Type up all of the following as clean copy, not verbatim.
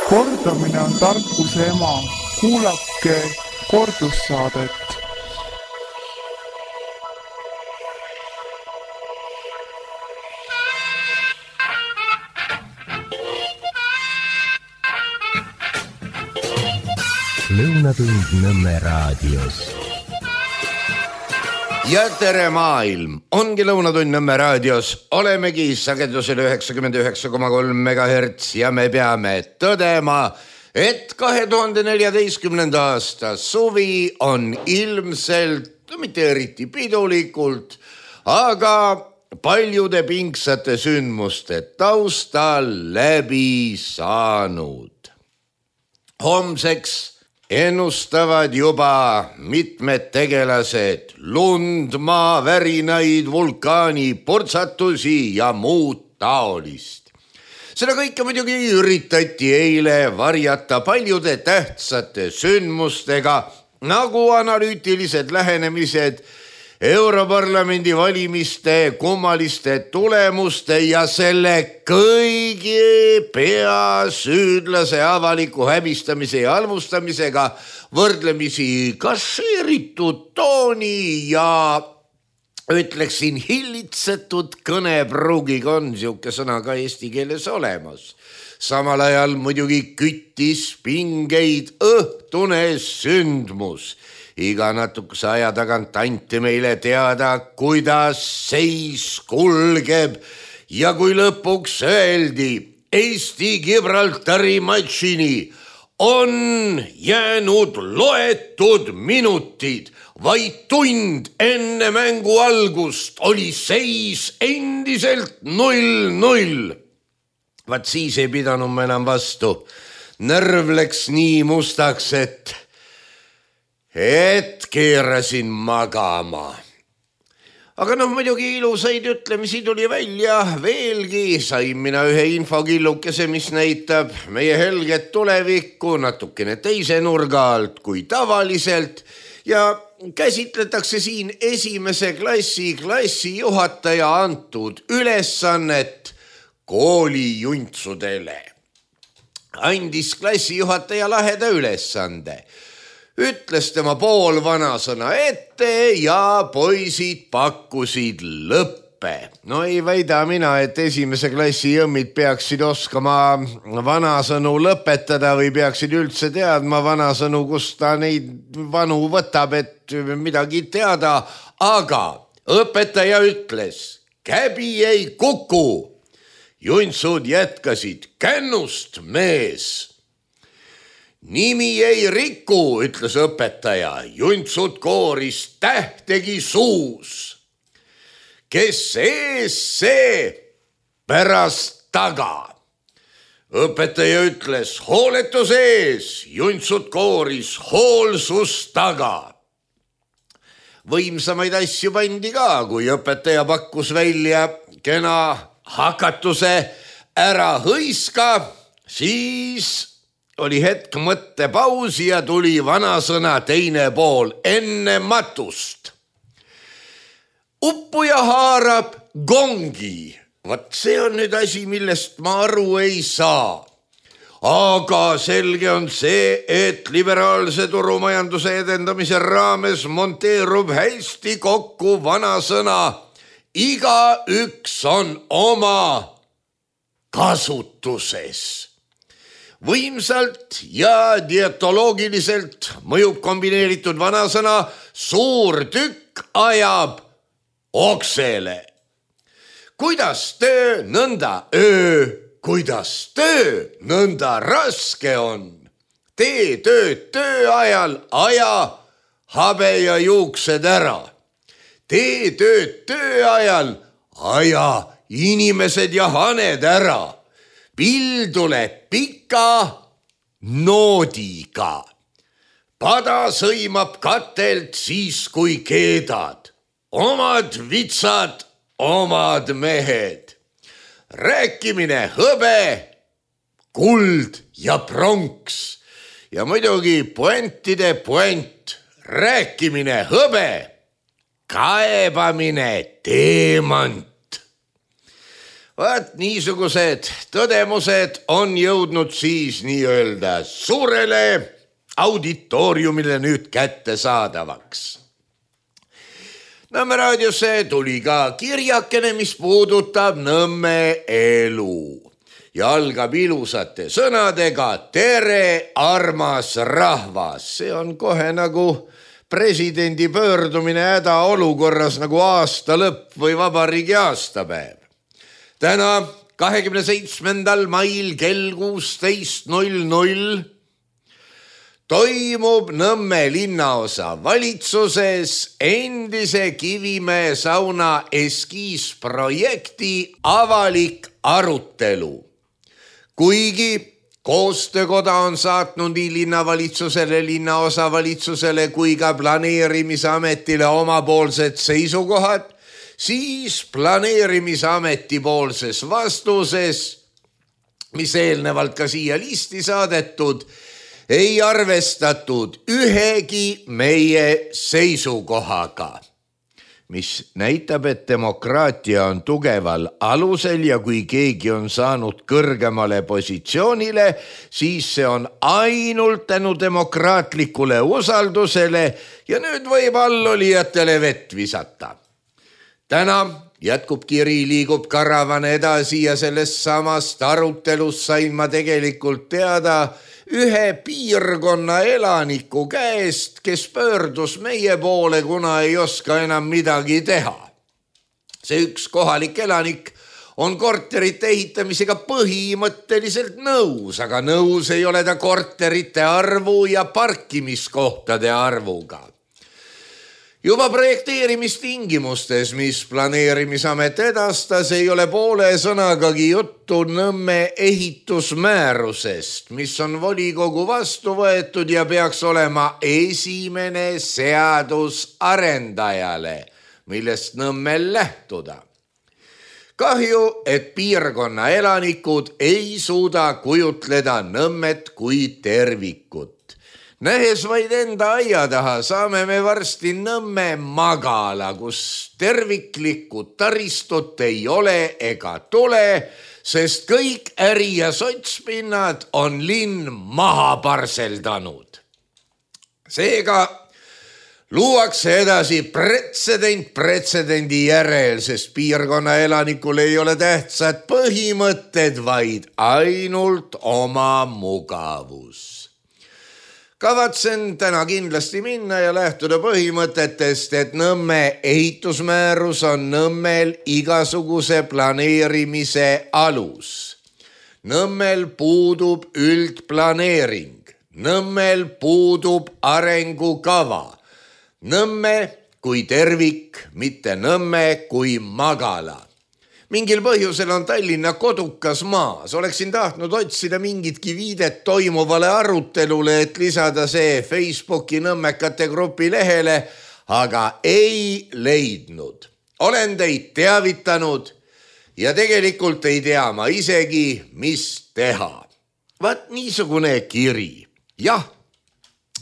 Kordamine on tarkuse ema. Kuulake kordussaadet. Lõunatund Nõmme raadios. Ja tere maailm, ongi Lõunatund Nõmme raadios, olemegi sagedusel 99,3 MHz ja me peame tõdema, et 2014. aasta suvi on ilmselt, mitte eriti pidulikult, aga paljude pingsate sündmuste taustal läbi saanud. Homseks ennustavad juba mitmed tegelased lund, maa, värinaid, vulkaani, portsatusi ja muud taolist. Seda kõike muidugi üritati eile varjata paljude tähtsate sündmustega, nagu analüütilised lähenemised Europarlamendi valimiste kummaliste tulemuste ja selle kõigi peasüüdlase avaliku häbistamise ja halvustamisega võrdlemisi kasseeritud tooni ja ütleksin hillitsetud kõnepruugiga on siuke sõna ka eesti keeles olemas. Samal ajal muidugi küttis pingeid õhtune sündmus. Iga natukese aja tagant anti meile teada, kuidas seis kulgeb ja kui lõpuks öeldi Eesti Gibraltari matšini on jäänud loetud minutid, vaid tund enne mängu algust oli seis endiselt 0-0. Vaat siis ei pidanud ma enam vastu. Närv läks nii mustaks, et keerasin magama. Aga muidugi ilusaid ütlemisi tuli välja veelgi. Sain mina ühe infokillukese, mis näitab meie helget tulevikku natukene teise nurga alt kui tavaliselt ja käsitletakse siin esimese klassijuhataja antud ülesannet koolijunsudele. Andis klassijuhataja laheda ülesande. Ütles tema pool vanasõna ette ja poisid pakkusid lõppe. No ei väida mina, et esimese klassi jõmmid peaksid oskama vanasõnu lõpetada või peaksid üldse teadma vanasõnu, kus ta neid vanu võtab, et midagi teada. Aga õpetaja ütles, käbi ei kuku. Juntsud jätkasid, kännust mees. Nimi ei riku, ütles õpetaja. Juntsud kooris, tähtegi suus. Kes ees, see pärast taga. Õpetaja ütles, hooletus ees. Juntsud kooris, hoolsus taga. Võimsamaid asju pandi ka, kui õpetaja pakkus välja kena hakatuse ära hõiska, siis oli hetk mõttepausi ja tuli vanasõna teine pool enne matust. Uppuja haarab gongi. Vat see on nüüd asi, millest ma aru ei saa. Aga selge on see, et liberaalse turumajanduse edendamise raames monteerub hästi kokku vanasõna. Igaüks on oma kasutuses. Võimsalt ja dietoloogiliselt mõjub kombineeritud vanasõna suur tükk ajab oksele. Kuidas töö, nõnda öö, kuidas töö, nõnda raske on. Tee tööd töö ajal, aja habe ja juuksed ära. Tee tööd töö ajal, aja inimesed ja haned ära. Pill tuleb pika noodiga. Pada sõimab katelt siis, kui keedad. Omad vitsad, omad mehed. Rääkimine hõbe, kuld ja pronks. Ja muidugi puentide puent. Rääkimine hõbe, kaebamine teemant. Vaat niisugused tõdemused on jõudnud siis nii-öelda suurele auditooriumile nüüd kättesaadavaks. Nõmme raadiosse tuli ka kirjakene, mis puudutab Nõmme elu ja algab ilusate sõnadega: tere, armas rahvas. See on kohe nagu presidendi pöördumine hädaolukorras, nagu aasta lõpp või vabariigi aastapäev. Täna 27. mail kell 16:00 toimub Nõmme linnaosa valitsuses endise Kivimäe sauna eskiisprojekti avalik arutelu. Kuigi koostöökoda on saatnud nii linnavalitsusele, linnaosavalitsusele kui ka planeerimisametile omapoolsed seisukohad, siis planeerimisameti poolses vastuses, mis eelnevalt ka siia listi saadetud, ei arvestatud ühegi meie seisukohaga, mis näitab, et demokraatia on tugeval alusel ja kui keegi on saanud kõrgemale positsioonile, siis see on ainult tänu demokraatlikule usaldusele ja nüüd võib allolijatele vett visata. Täna jätkub kiri, liigub karavan edasi ja sellest samast arutelust sain ma tegelikult teada ühe piirkonna elaniku käest, kes pöördus meie poole, kuna ei oska enam midagi teha. See üks kohalik elanik on korterite ehitamisega põhimõtteliselt nõus, aga nõus ei ole ta korterite arvu ja parkimiskohtade arvuga. Juba projekteerimistingimustes, mis planeerimisamet edastas, ei ole poole sõnagagi juttu Nõmme ehitusmäärusest, mis on volikogu vastu võetud ja peaks olema esimene seadus arendajale, millest Nõmmel lähtuda. Kahju, et piirkonna elanikud ei suuda kujutleda Nõmmet kui tervikut. Nähes vaid enda aia taha saame me varsti Nõmme magala, kus terviklikku taristut ei ole ega tule, sest kõik äri- ja sotspinnad on linn maha parseldanud. Seega luuakse edasi pretsedendi järel, sest piirkonna elanikul ei ole tähtsad põhimõtted, vaid ainult oma mugavus. Kavatsen täna kindlasti minna ja lähtuda põhimõtetest, et Nõmme ehitusmäärus on Nõmmel igasuguse planeerimise alus. Nõmmel puudub üldplaneering, Nõmmel puudub arengukava. Nõmme kui tervik, mitte Nõmme kui magala. Mingil põhjusel on Tallinna kodukas maas. Oleksin tahtnud otsida mingitki viidet toimuvale arutelule, et lisada see Facebooki Nõmmekate grupi lehele, aga ei leidnud. Olen teid teavitanud ja tegelikult ei tea ma isegi, mis teha. Vaat niisugune kiri. Jah,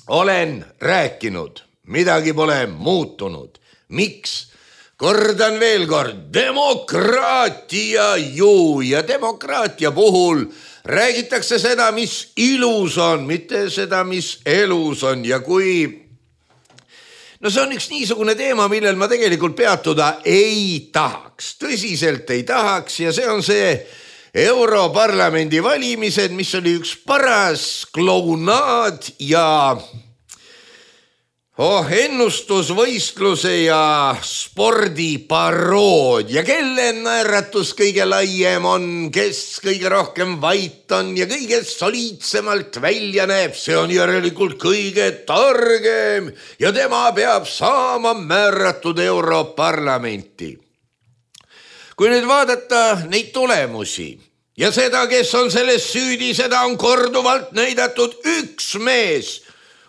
olen rääkinud, midagi pole muutunud. Miks? Kordan veel kord, demokraatia ju ja demokraatia puhul räägitakse seda, mis ilus on, mitte seda, mis elus on ja kui... No see on üks niisugune teema, millel ma tegelikult peatuda ei tahaks, tõsiselt ei tahaks ja see on see Europarlamendi valimised, mis oli üks paras klounaad ja... ennustusvõistluse ja spordiparood ja kelle naeratus kõige laiem on, kes kõige rohkem vait on ja kõige soliidsemalt välja näeb, see on järelikult kõige targem ja tema peab saama määratud Europarlamenti. Kui nüüd vaadata neid tulemusi ja seda, kes on selles süüdi, seda on korduvalt näidatud üks mees,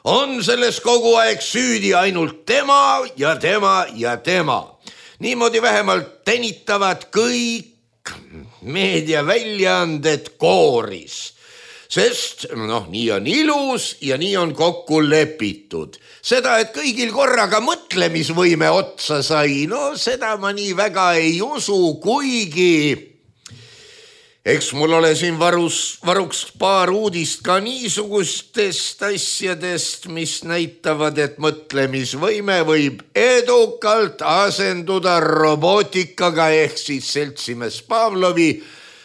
on selles kogu aeg süüdi ainult tema ja tema ja tema. Niimoodi vähemalt tänitavad kõik meediaväljaanded kooris. Sest nii on ilus ja nii on kokku lepitud. Seda, et kõigil korraga mõtlemisvõime otsa sai, seda ma nii väga ei usu, kuigi Eks mul ole siin varuks paar uudist ka niisugustest asjadest, mis näitavad, et mõtlemisvõime võib edukalt asenduda robootikaga ehk siis seltsimees Pavlovi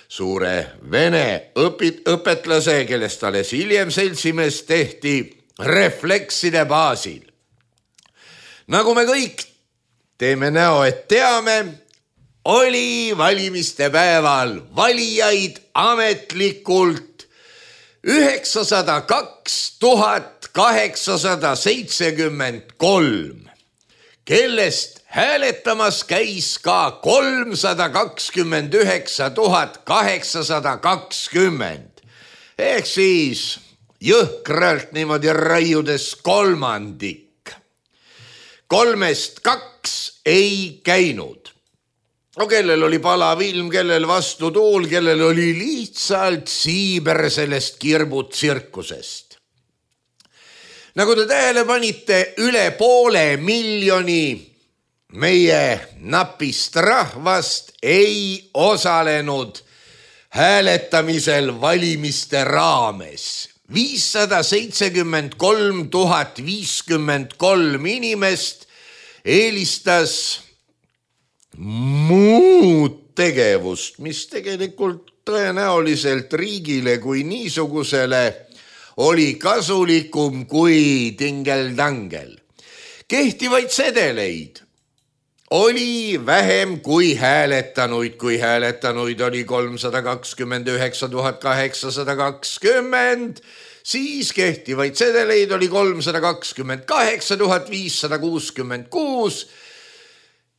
suure vene õpetlase, kellest alles hiljem seltsimees tehti, reflekside baasil. Nagu me kõik teeme näo, et teame, oli valimiste päeval valijaid ametlikult 902 873, kellest hääletamas käis ka 329 820 ehk siis jõhkralt niimoodi raiudes kolmandik. 3-2 ei käinud. No kellel oli palav ilm, kellel vastu tuul, kellel oli lihtsalt siiber sellest kirbutsirkusest. Nagu te tähele panite, üle 500 000 meie napist rahvast ei osalenud hääletamisel valimiste raames. 573 053 inimest eelistas muud tegevust, mis tegelikult tõenäoliselt riigile kui niisugusele oli kasulikum kui tingeldangel. Kehtivaid sedeleid oli vähem kui hääletanuid oli 329 820, siis kehtivaid sedeleid oli 328 566,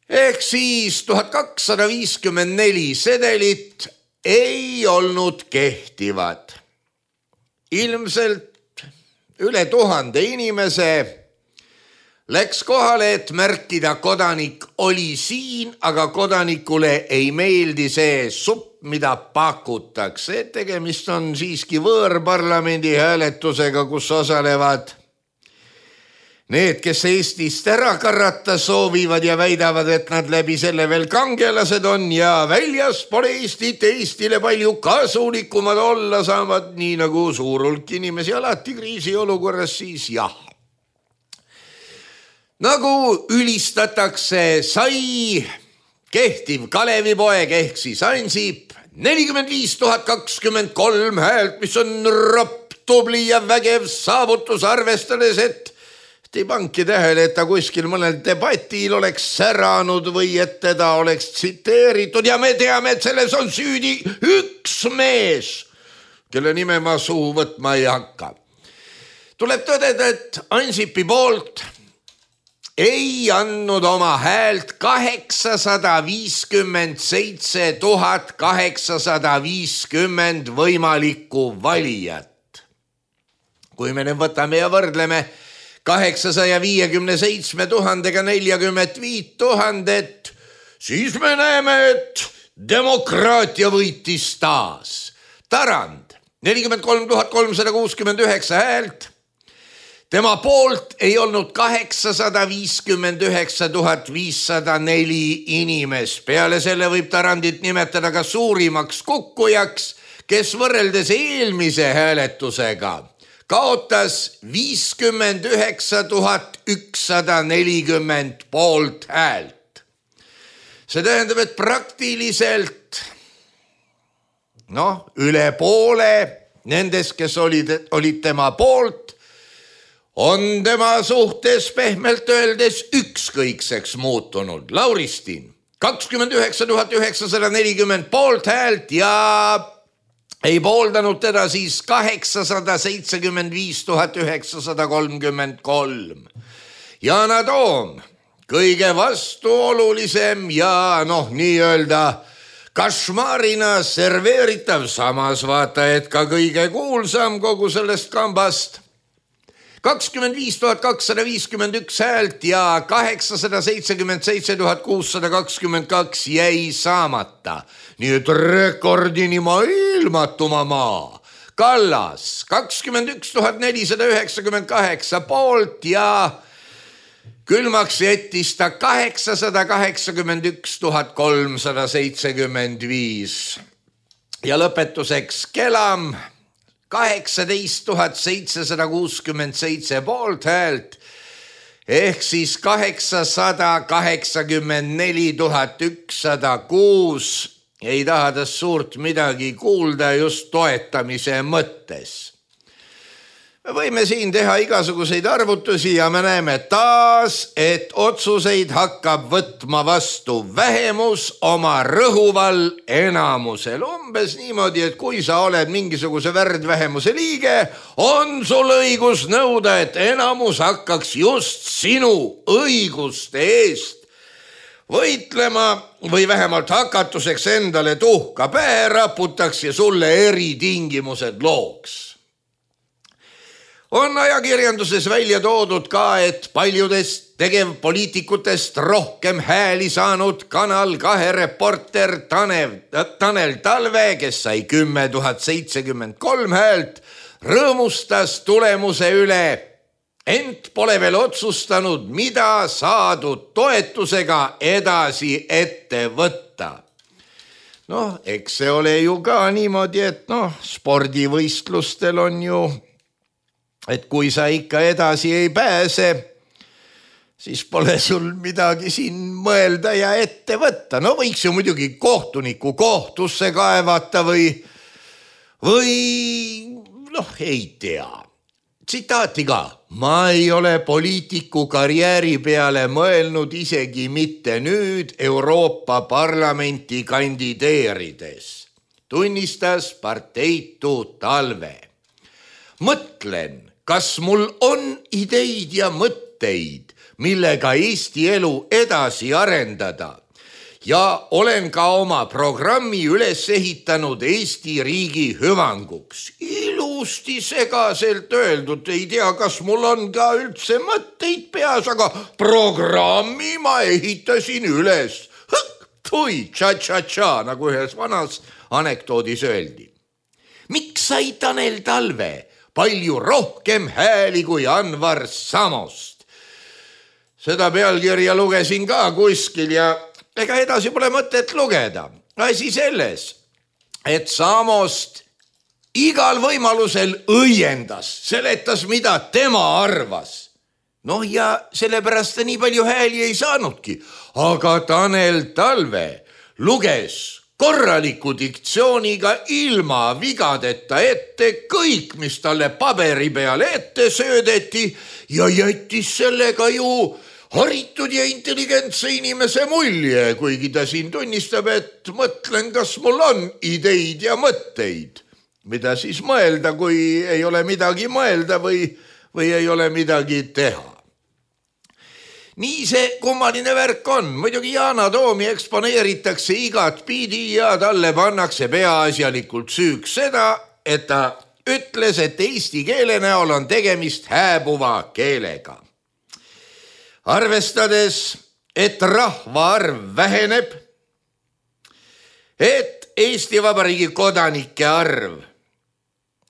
ehk siis 1254 sedelit ei olnud kehtivad. Ilmselt üle 1000 inimese läks kohale, et märkida, kodanik oli siin, aga kodanikule ei meeldi see supp, mida pakutakse. Tegemist on siiski võõrparlamendi hääletusega, kus osalevad need, kes Eestist ära karata soovivad ja väidavad, et nad läbi selle veel kangelased on ja väljaspool Eestit Eestile palju kasulikumad olla saavad, nii nagu suur hulk inimesi alati kriisiolukorras, siis jah. Nagu ülistatakse, sai kehtiv Kalevipoeg ehk siis Ansip 45 023 häält, mis on ropp, tubli ja vägev saavutus, arvestades, et ei panki tähele, et ta kuskil mõnel debatil oleks säranud või et teda oleks tsiteeritud ja me teame, et selles on süüdi üks mees, kelle nime ma suhu võtma ei hakka. Tuleb tõdeda, et Ansipi poolt ei andnud oma häält 857 850 võimalikku valijat. Kui me nüüd võtame ja võrdleme 857 000-ga 45 000, siis me näeme, et demokraatia võitis taas. Tarand 43 369 häält. Tema poolt ei olnud 859 504 inimest. Peale selle võib Tarandit nimetada ka suurimaks kukkujaks, kes võrreldes eelmise hääletusega kaotas 59 140 poolt häält. See tähendab, et praktiliselt üle poole nendest, kes olid tema poolt, on tema suhtes pehmelt öeldes ükskõikseks muutunud. Lauristin 29 940 poolt häält ja ei pooldanud teda siis 875 933. Yana Toom, kõige vastuolulisem ja nii-öelda kašmaarina serveeritav, samas vaata, et ka kõige kuulsam kogu sellest kambast. 25 251 häält ja 877 622 jäi saamata. Nii et rekordini maailmatuma maa. Kallas 21 498 poolt ja külmaks jättis ta 881 375. Ja lõpetuseks kelam 18 767 poolthäält ehk siis 884 106 ei taha tast suurt midagi kuulda just toetamise mõttes. Me võime siin teha igasuguseid arvutusi ja me näeme taas, et otsuseid hakkab võtma vastu vähemus oma rõhuval enamusel. Umbes niimoodi, et kui sa oled mingisuguse värdvähemuse liige, on sul õigus nõuda, et enamus hakkaks just sinu õiguste eest võitlema või vähemalt hakatuseks endale tuhka pähe raputaks ja sulle eritingimused looks. On ajakirjanduses välja toodud ka, et paljudest tegevpoliitikutest rohkem hääli saanud Kanal 2 reporter Tanel Talve, kes sai 10 073 häält, rõõmustas tulemuse üle, ent pole veel otsustanud, mida saadud toetusega edasi ette võtta. Eks see ole ju ka niimoodi, et spordivõistlustel on ju, et kui sa ikka edasi ei pääse, siis pole sul midagi siin mõelda ja ette võtta. Võiks ju muidugi kohtuniku kohtusse kaevata või ei tea. Tsitaati ka. Ma ei ole poliitiku karjääri peale mõelnud isegi mitte nüüd Euroopa Parlamenti kandideerides, tunnistas parteitu Talve. Mõtlen, kas mul on ideid ja mõtteid, millega Eesti elu edasi arendada ja olen ka oma programmi üles ehitanud Eesti riigi hüvanguks. Ilusti segaselt öeldud, ei tea, kas mul on ka üldse mõtteid peas, aga programmi ma ehitasin üles. Tui, tša-tša-tša, nagu ühes vanas anekdoodis öeldi. Miks sai Tanel Talve palju rohkem hääli kui Anvar Samost? Seda pealkirja lugesin ka kuskil ja ega edasi pole mõtet lugeda. Asi selles, et Samost igal võimalusel õiendas, seletas, mida tema arvas. Ja sellepärast ta nii palju hääli ei saanudki. Aga Tanel Talve luges korraliku diktsiooniga ilma vigadeta ette kõik, mis talle paberi peale ette söödeti ja jättis sellega ju haritud ja intelligentse inimese mulje, kuigi ta siin tunnistab, et mõtlen, kas mul on ideid ja mõtteid. Mida siis mõelda, kui ei ole midagi mõelda või ei ole midagi teha. Nii see kummaline värk on. Muidugi Yana Toomi eksponeeritakse igat pidi ja talle pannakse peaasjalikult süüks seda, et ta ütles, et eesti keele näol on tegemist hääbuva keelega. Arvestades, et rahvaarv väheneb, et Eesti Vabariigi kodanike arv,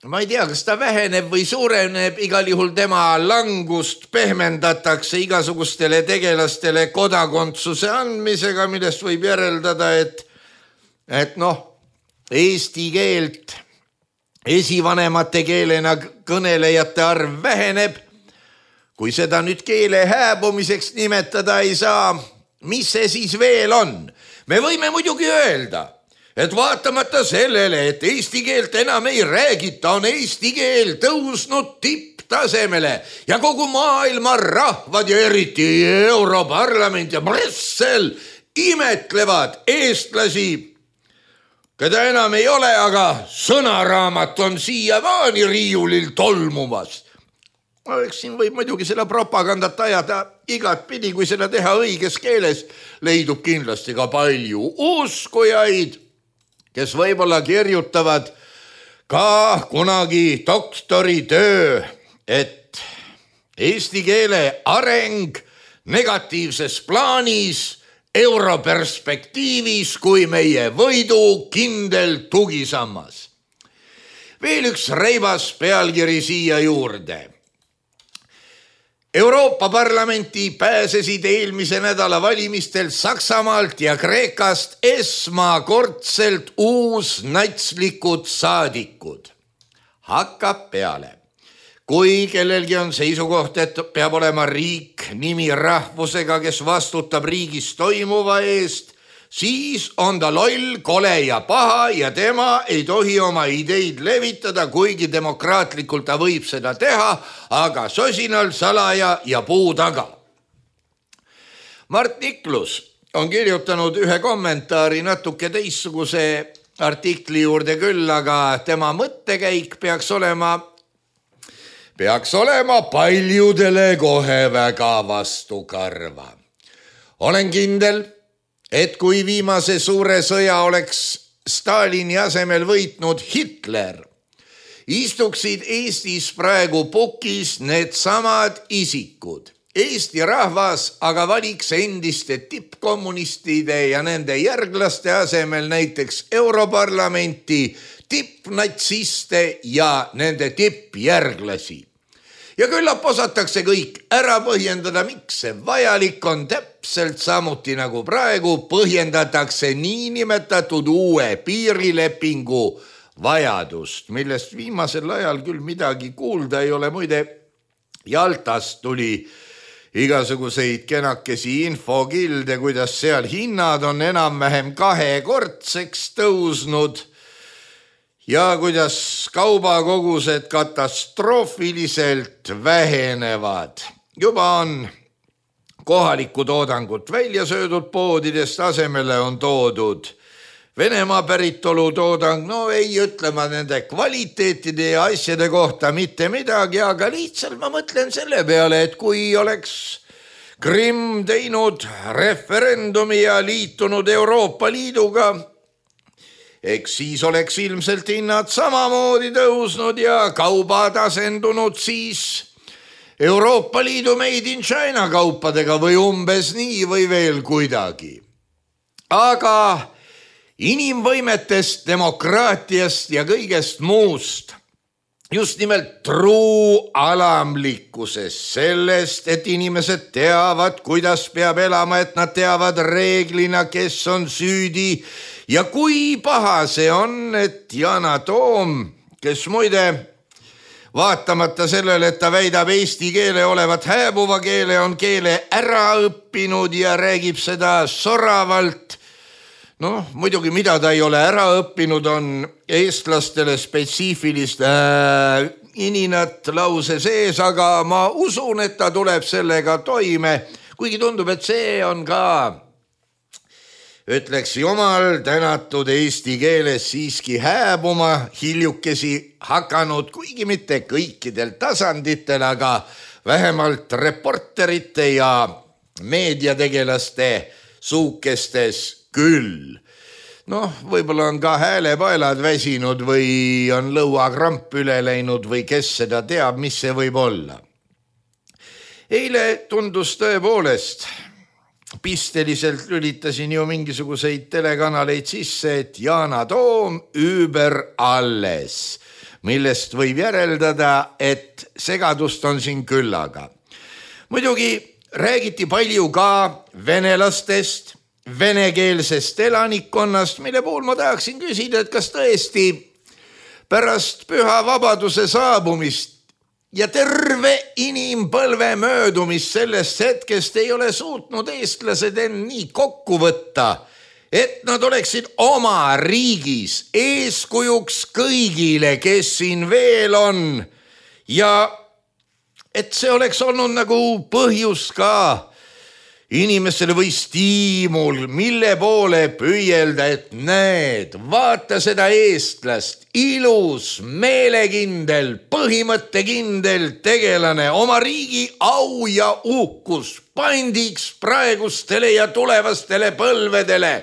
ma ei tea, kas ta väheneb või suureneb, igal juhul tema langust pehmendatakse igasugustele tegelastele kodakondsuse andmisega, millest võib järeldada, et eesti keelt esivanemate keelena kõnelejate arv väheneb. Kui seda nüüd keele hääbumiseks nimetada ei saa, mis see siis veel on? Me võime muidugi öelda, et vaatamata sellele, et eesti keelt enam ei räägita, on eesti keel tõusnud tipptasemele ja kogu maailma rahvad ja eriti Europarlament ja Brüssel imetlevad eestlasi, keda enam ei ole, aga sõnaraamat on siiamaani riiulil tolmumas. Eks siin võib muidugi seda propagandat ajada igat pidi, kui seda teha õiges keeles, leidub kindlasti ka palju uskujaid, kes võib-olla kirjutavad ka kunagi doktoritöö, et eesti keele areng negatiivses plaanis, europerspektiivis kui meie võidu kindel tugisammas. Veel üks reibas pealkiri siia juurde. Euroopa Parlamenti pääsesid eelmise nädala valimistel Saksamaalt ja Kreekast esmakordselt uusnatslikud saadikud. Hakkab peale. Kui kellelgi on seisukoht, et peab olema riik nimi rahvusega, kes vastutab riigis toimuva eest, siis on ta loll, kole ja paha ja tema ei tohi oma ideid levitada, kuigi demokraatlikult ta võib seda teha, aga sosinal, salaja ja puu taga. Mart Niklus on kirjutanud ühe kommentaari natuke teistsuguse artikli juurde küll, aga tema mõttekäik peaks olema paljudele kohe väga vastukarva. Olen kindel, et kui viimase suure sõja oleks Stalini asemel võitnud Hitler, istuksid Eestis praegu pukis needsamad isikud. Eesti rahvas aga valiks endiste tippkommunistide ja nende järglaste asemel näiteks Europarlamenti, tippnatsiste ja nende tippjärglasi. Ja küllap osatakse kõik ära põhjendada, miks see vajalik on, täpselt samuti nagu praegu põhjendatakse niinimetatud uue piirilepingu vajadust, millest viimasel ajal küll midagi kuulda ei ole. Muide, Jaltast tuli igasuguseid kenakesi infokilde, kuidas seal hinnad on enam-vähem 2-kordseks tõusnud ja kuidas kaubakogused katastroofiliselt vähenevad. Juba on kohalikku toodangut välja söödud poodidest, asemele on toodud Venemaa päritolu toodang. No ei ütle ma nende kvaliteetide ja asjade kohta mitte midagi, aga lihtsalt ma mõtlen selle peale, et kui oleks Krimm teinud referendumi ja liitunud Euroopa Liiduga, eks siis oleks ilmselt hinnad samamoodi tõusnud ja kaubad asendunud siis Euroopa Liidu Made in China kaupadega või umbes nii või veel kuidagi. Aga inimvõimetest, demokraatiast ja kõigest muust, just nimelt truu alamlikkusest, sellest, et inimesed teavad, kuidas peab elama, et nad teavad reeglina, kes on süüdi ja kui paha see on, et Yana Toom, kes muide vaatamata sellele, et ta väidab eesti keele olevat hääbuva keele, on keele ära õppinud ja räägib seda soravalt. Muidugi mida ta ei ole ära õppinud, on eestlastele spetsiifilist ininat lause sees, aga ma usun, et ta tuleb sellega toime, kuigi tundub, et see on ka, ütleks jumal tänatud eesti keeles siiski hääbuma hiljukesi hakanud, kuigi mitte kõikidel tasanditel, aga vähemalt reporterite ja meediategelaste suukestes küll. Võib-olla on ka häälepaelad väsinud või on lõuakramp üle läinud või kes seda teab, mis see võib olla. Eile tundus tõepoolest, pisteliselt lülitasin ju mingisuguseid telekanaleid sisse, et Yana Toom über alles, millest võib järeldada, et segadust on siin küllaga. Muidugi räägiti palju ka venelastest, venekeelsest elanikkonnast, mille puhul ma tahaksin küsida, et kas tõesti pärast püha vabaduse saabumist ja terve inimpõlve möödumist sellest hetkest ei ole suutnud eestlased end nii kokku võtta, et nad oleksid oma riigis eeskujuks kõigile, kes siin veel on ja et see oleks olnud nagu põhjus ka inimestele või stiimul, mille poole püüelda, et näed, vaata seda eestlast, ilus, meelekindel, põhimõttekindel tegelane, oma riigi au ja uhkus pandiks praegustele ja tulevastele põlvedele.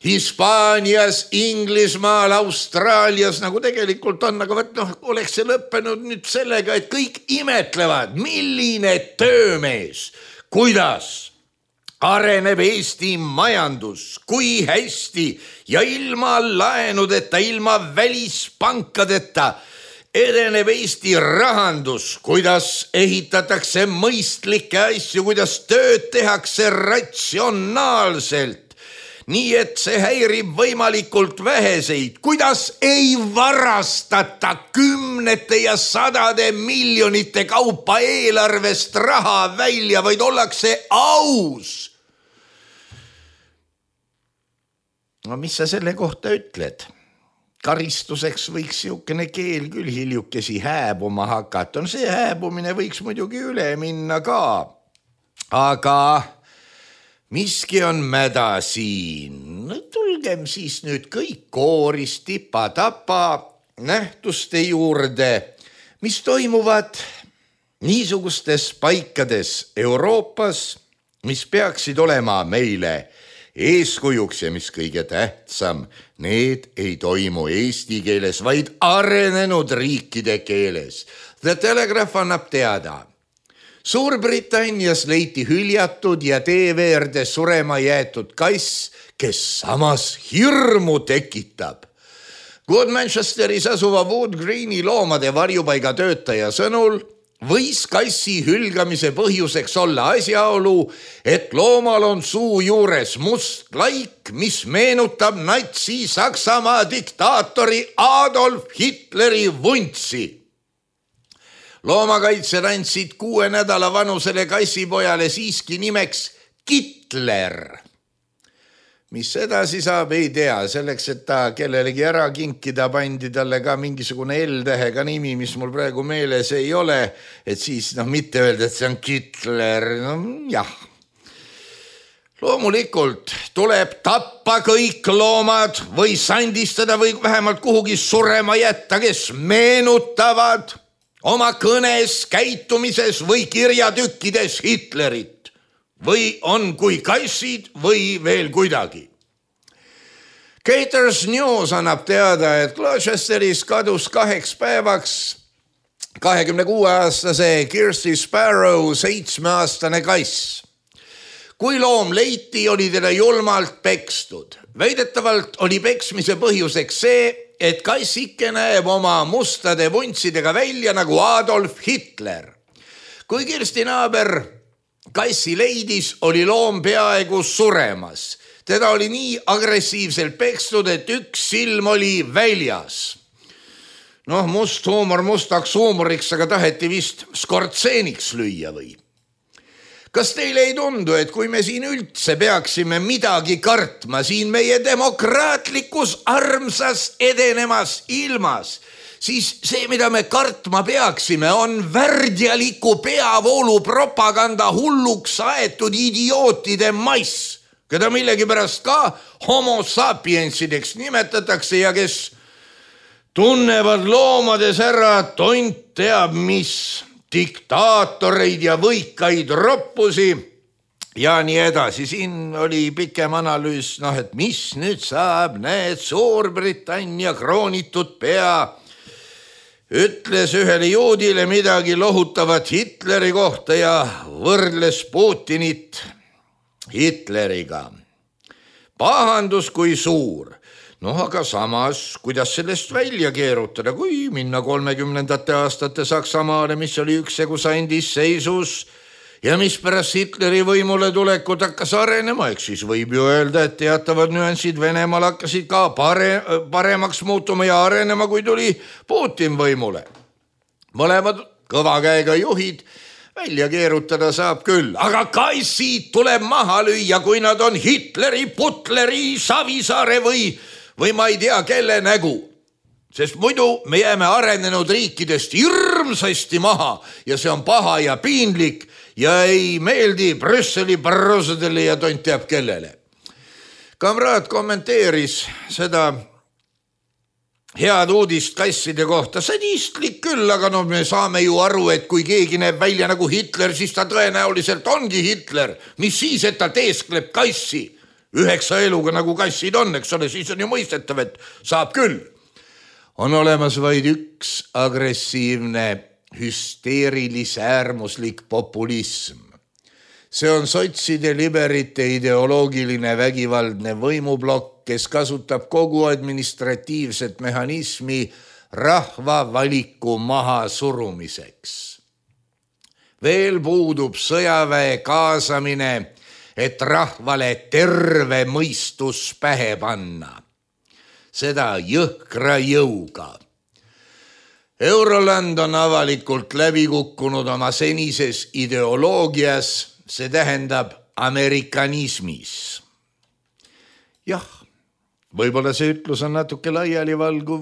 Hispaanias, Inglismaal, Austraalias, nagu tegelikult on, aga oleks see lõppenud nüüd sellega, et kõik imetlevad, milline töömees, kuidas areneb Eesti majandus, kui hästi ja ilma laenudeta, ilma välispankadeta edeneb Eesti rahandus, kuidas ehitatakse mõistlikke asju, kuidas tööd tehakse ratsionaalselt, nii et see häirib võimalikult väheseid, kuidas ei varastata kümnete ja sadade miljonite kaupa eelarvest raha välja, vaid ollakse aus. No mis sa selle kohta ütled? Karistuseks võiks siukene keel küll hiljukesi hääbuma hakata. See hääbumine võiks muidugi üle minna ka. Aga miski on mäda siin. Tulgem siis nüüd kõik kooris tipa-tapa nähtuste juurde, mis toimuvad niisugustes paikades Euroopas, mis peaksid olema meile eeskujuks ja mis kõige tähtsam, need ei toimu eesti keeles, vaid arenenud riikide keeles. The Telegraph annab teada. Suurbritannias leiti hüljatud ja tee veerde surema jäetud kass, kes samas hirmu tekitab. Good Manchesteris asuva Wood Greeni loomade varjupaiga töötaja sõnul võis kassi hülgamise põhjuseks olla asjaolu, et loomal on suu juures must laik, mis meenutab Natsi-Saksamaa diktaatori Adolf Hitleri vuntsi. Loomakaitsjad andsid 6 nädala vanusele kassipojale siiski nimeks Hitler. Mis edasi saab, ei tea. Selleks, et ta kellelegi ära kinkida, pandi talle ka mingisugune L-tähega nimi, mis mul praegu meeles ei ole, et siis mitte öelda, et see on Hitler. Jah. Loomulikult tuleb tappa kõik loomad või sandistada või vähemalt kuhugi surema jätta, kes meenutavad oma kõnes, käitumises või kirjatükkides Hitlerit. Või on kui kassid või veel kuidagi. Gators News annab teada, et Gloucesteris kadus 2 päevaks 26-aastase Kirsty Sparrow 7-aastane kass. Kui loom leiti, oli teda julmalt pekstud. Väidetavalt oli peksmise põhjuseks see, et kassike näeb oma mustade vuntsidega välja nagu Adolf Hitler. Kui Kirsti naaber kassi leidis, oli loom peaaegu suremas. Teda oli nii agressiivselt pekstud, et üks silm oli väljas. Must huumor mustaks huumoriks, aga taheti vist skortseeniks lüüa või? Kas teile ei tundu, et kui me siin üldse peaksime midagi kartma siin meie demokraatlikus armsas edenemas ilmas, siis see, mida me kartma peaksime, on värdjaliku peavoolu propaganda hulluks aetud idiootide mass, keda millegipärast ka homo sapiensideks nimetatakse ja kes tunnevad loomades ära tont teab mis diktaatoreid ja võikaid roppusi ja nii edasi. Siin oli pikem analüüs, et mis nüüd saab, näed, Suurbritannia kroonitud pea ütles ühele juudile midagi lohutavat Hitleri kohta ja võrdles Putinit Hitleriga. Pahandus kui suur. Aga samas, kuidas sellest välja keerutada, kui minna 30. aastate Saksamaale, mis oli üksjagu sandis seisus ja mis pärast Hitleri võimule tulekut hakkas arenema, eks siis võib ju öelda, et teatavad nüansid Venemaal hakkasid ka paremaks muutuma ja arenema, kui tuli Putin võimule. Mõlemad kõva käega juhid välja keerutada saab küll, aga kassid tuleb maha lüüa, kui nad on Hitleri, Putleri, Savisaare või ma ei tea, kelle nägu. Sest muidu me jääme arenenud riikidest hirmsasti maha ja see on paha ja piinlik ja ei meeldi Brüsseli barrosadele ja tont teab kellele. Kamraad kommenteeris seda head uudist kasside kohta. Sadistlik küll, aga me saame ju aru, et kui keegi näeb välja nagu Hitler, siis ta tõenäoliselt ongi Hitler. Mis siis, et ta teeskleb kassi? 9 eluga nagu kassid on, eks ole, siis on ju mõistetav, et saab küll. On olemas vaid üks agressiivne hüsteerilis äärmuslik populism. See on sotside liberite ideoloogiline vägivaldne võimublokk, kes kasutab kogu administratiivset mehhanismi rahva valiku maha surumiseks. Veel puudub sõjaväe kaasamine, et rahvale terve mõistus pähe panna. Seda jõhkra jõuga. Euroland on avalikult läbi kukkunud oma senises ideoloogias, see tähendab amerikanismis. Jah, võib-olla see ütlus on natuke laialivalguv,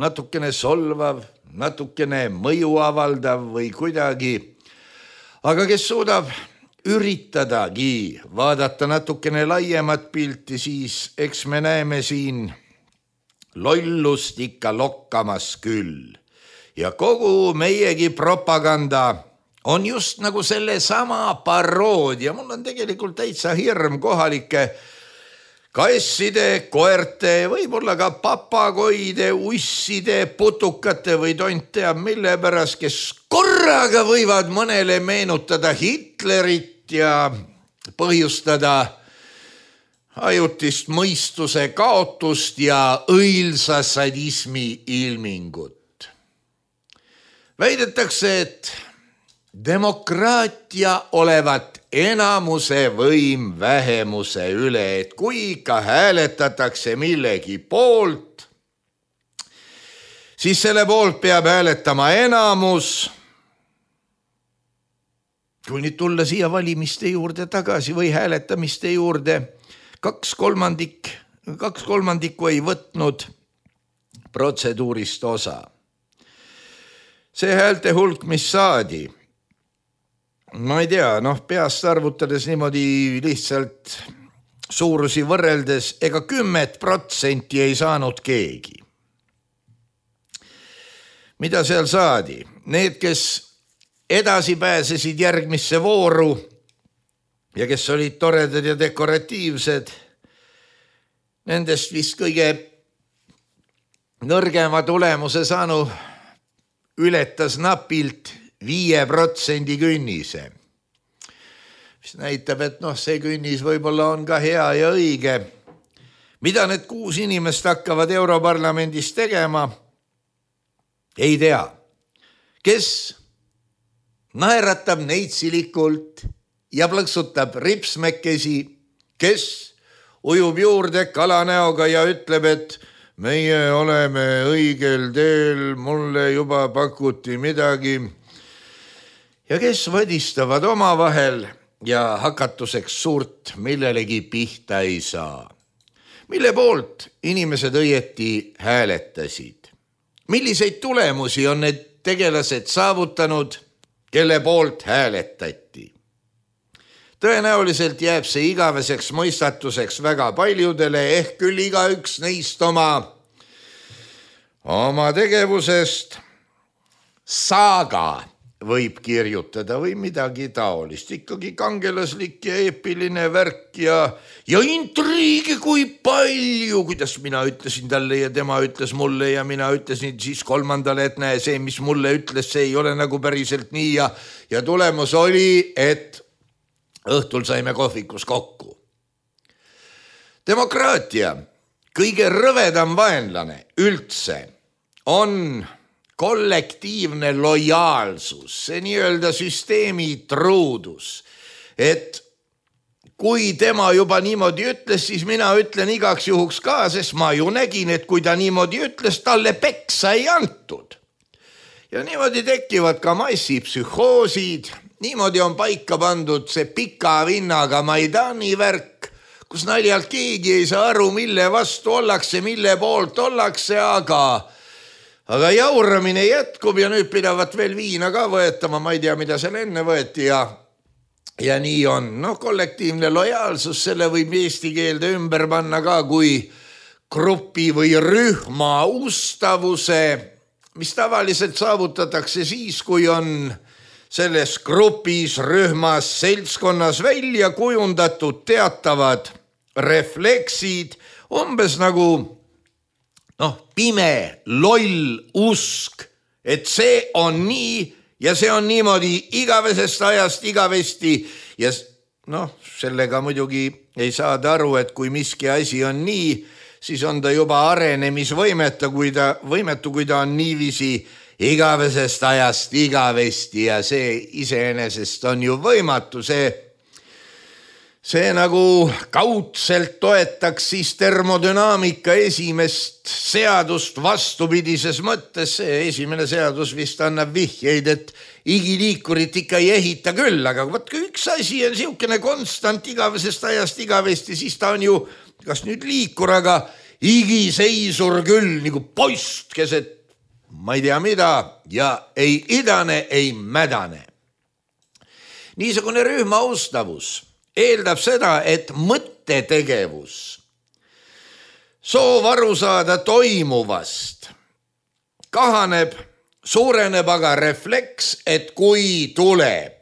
natukene solvav, natukene mõju avaldav või kuidagi, aga kes suudab üritadagi vaadata natukene laiemat pilti, siis eks me näeme siin lollust ikka lokkamas küll. Ja kogu meiegi propaganda on just nagu selle sama paroodia. Mul on tegelikult täitsa hirm kohalike kasside, koerte, võib-olla ka papagoide, usside, putukate või tont teab mille pärast, kes korraga võivad mõnele meenutada Hitlerit ja põhjustada ajutist mõistuse kaotust ja õilsa sadismi ilmingut. Väidetakse, et demokraatia olevat enamuse võim vähemuse üle, et kui ikka hääletatakse millegi poolt, siis selle poolt peab hääletama enamus. Kui nüüd tulla siia valimiste juurde tagasi või hääletamiste juurde, 2/3 ei võtnud protseduurist osa. See häälte hulk, mis saadi, ma ei tea, peast arvutades niimoodi lihtsalt suurusi võrreldes, ega 10% ei saanud keegi. Mida seal saadi? Need, kes edasi pääsesid järgmisse vooru ja kes olid toredad ja dekoratiivsed, nendest vist kõige nõrgema tulemuse saanu ületas napilt 5% künnise. Mis näitab, et see künnis võib-olla on ka hea ja õige. Mida need 6 inimest hakkavad Europarlamendis tegema? Ei tea. Kes naeratab neitsilikult ja plõksutab ripsmekesi, kes ujub juurde kalanäoga ja ütleb, et meie oleme õigel teel, mulle juba pakuti midagi. Ja kes võdistavad omavahel ja hakatuseks suurt millelegi pihta ei saa. Mille poolt inimesed õieti hääletasid? Milliseid tulemusi on need tegelased saavutanud, kelle poolt hääletati? Tõenäoliselt jääb see igaveseks mõistatuseks väga paljudele, ehk küll igaüks neist oma tegevusest saaga võib kirjutada või midagi taolist. Ikkagi kangelaslik ja eepiline värk ja intriigi kui palju, kuidas mina ütlesin talle ja tema ütles mulle ja mina ütlesin siis kolmandale, et näe, see, mis mulle ütles, see ei ole nagu päriselt nii ja tulemus oli, et õhtul saime kohvikus kokku. Demokraatia, kõige rõvedam vaenlane üldse on kollektiivne lojaalsus, see nii-öelda süsteemi truudus, et kui tema juba niimoodi ütles, siis mina ütlen igaks juhuks ka, sest ma ju nägin, et kui ta niimoodi ütles, talle peksa ei antud. Ja niimoodi tekivad ka massipsühhoosid. Niimoodi on paika pandud see pika vinnaga Maidani värk, kus naljalt keegi ei saa aru, mille vastu ollakse, mille poolt ollakse, aga jauramine jätkub ja nüüd pidavat veel viina ka võetama, ma ei tea, mida seal enne võeti ja nii on. Kollektiivne lojaalsus, selle võib eesti keelde ümber panna ka kui grupi või rühma ustavuse, mis tavaliselt saavutatakse siis, kui on selles grupis, rühmas, seltskonnas välja kujundatud teatavad refleksid, umbes nagu pime, loll usk, et see on nii ja see on niimoodi igavesest ajast igavesti ja sellega muidugi ei saada aru, et kui miski asi on nii, siis on ta juba arenemisvõimetu, kui ta on niiviisi igavesest ajast igavesti ja see iseenesest on ju võimatu, see nagu kaudselt toetaks siis termodünaamika esimest seadust vastupidises mõttes. See esimene seadus vist annab vihjeid, et igiliikurit ikka ei ehita küll, aga võt kui üks asi on siukene konstant igavesest ajast igavesti, siis ta on ju kas nüüd liikur, aga igiseisur küll nagu post keset ma ei tea mida ja ei idane, ei mädane. Niisugune rühma austavus eeldab seda, et mõttetegevus, soov aru saada toimuvast kahaneb, suureneb aga refleks, et kui tuleb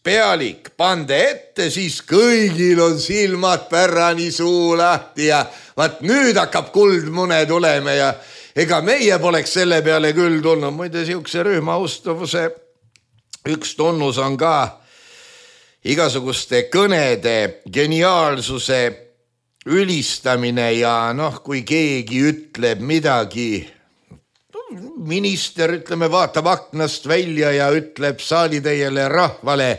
pealik pande ette, siis kõigil on silmad pärani, suu lahti ja vaat nüüd hakkab kuldmune tulema ja ega meie poleks selle peale küll tulnud. Muide, siukse rühma austavuse üks tunnus on ka igasuguste kõnede geniaalsuse ülistamine ja kui keegi ütleb midagi, minister, ütleme, vaatab aknast välja ja ütleb saalitäiele rahvale,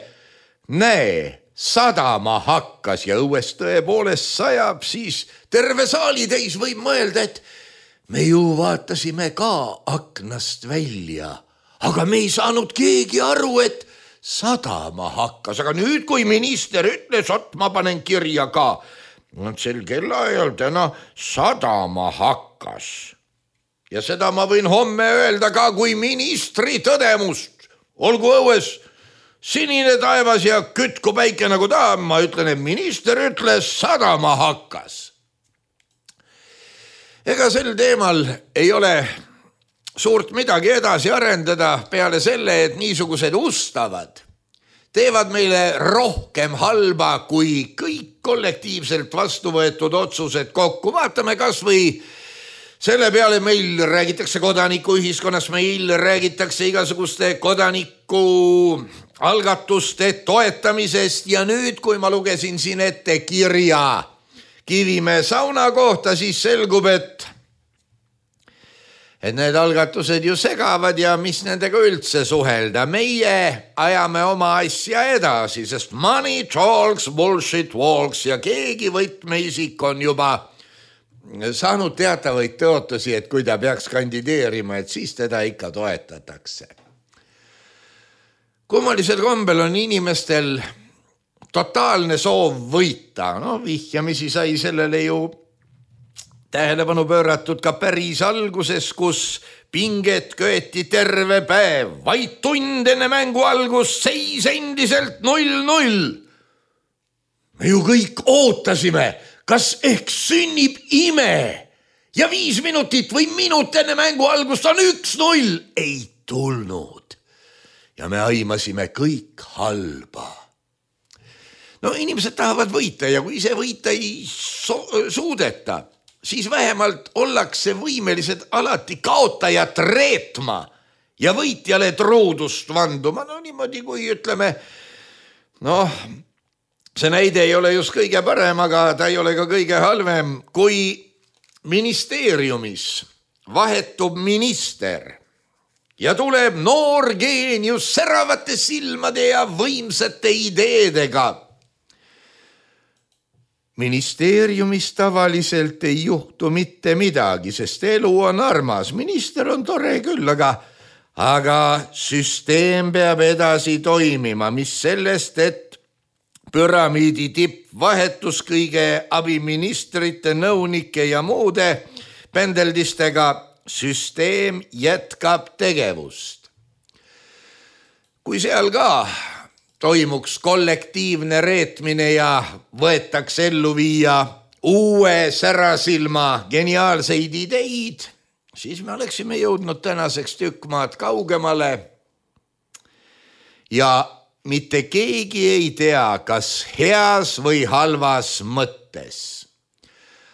näe, sadama hakkas ja õues tõepoolest sajab, siis terve saalitäis võib mõelda, et me ju vaatasime ka aknast välja, aga me ei saanud keegi aru, et sadama hakkas, aga nüüd, kui minister ütles, et ma panen kirja ka, sel kellaajal täna sadama hakkas. Ja seda ma võin homme öelda ka kui ministri tõdemust. Olgu õues sinine taevas ja kütku päike nagu ta, ma ütlen, et minister ütles, sadama hakkas. Ega sel teemal ei ole suurt midagi edasi arendada peale selle, et niisugused ustavad teevad meile rohkem halba kui kõik kollektiivselt vastu võetud otsused kokku. Vaatame kas või selle peale, meil räägitakse kodanikuühiskonnas, meil räägitakse igasuguste kodaniku algatuste toetamisest ja nüüd, kui ma lugesin siin ette kirja Kivimäe sauna kohta, siis selgub, et need algatused ju segavad ja mis nendega üldse suhelda. Meie ajame oma asja edasi, sest money talks, bullshit walks ja keegi võtmeisik on juba saanud teatavaid tõotusi, et kui ta peaks kandideerima, et siis teda ikka toetatakse. Kummalisel kombel on inimestel totaalne soov võita. Vihjamisi sai sellele ju tähelepanu pööratud ka päris alguses, kus pinget köeti terve päev, vaid tund enne mängu algust seis endiselt 0-0. Me ju kõik ootasime, kas ehk sünnib ime ja 5 minutit või minut enne mängu algust on 1-0. Ei tulnud ja me aimasime kõik halba. Inimesed tahavad võita ja kui ise võita ei suudeta, siis vähemalt ollakse võimelised alati kaotajat reetma ja võitjale truudust vanduma. Niimoodi kui ütleme, see näide ei ole just kõige parem, aga ta ei ole ka kõige halvem. Kui ministeeriumis vahetub minister ja tuleb noor geenius säravate silmade ja võimsate ideedega, ministeeriumis tavaliselt ei juhtu mitte midagi, sest elu on armas. Minister on tore küll, aga süsteem peab edasi toimima, mis sellest, et püramiidi tipp vahetus kõige abiministrite, nõunike ja muude pendeldistega, süsteem jätkab tegevust. Kui seal ka toimuks kollektiivne reetmine ja võetaks ellu viia uue särasilma geniaalseid ideid, siis me oleksime jõudnud tänaseks tükk maad kaugemale ja mitte keegi ei tea, kas heas või halvas mõttes.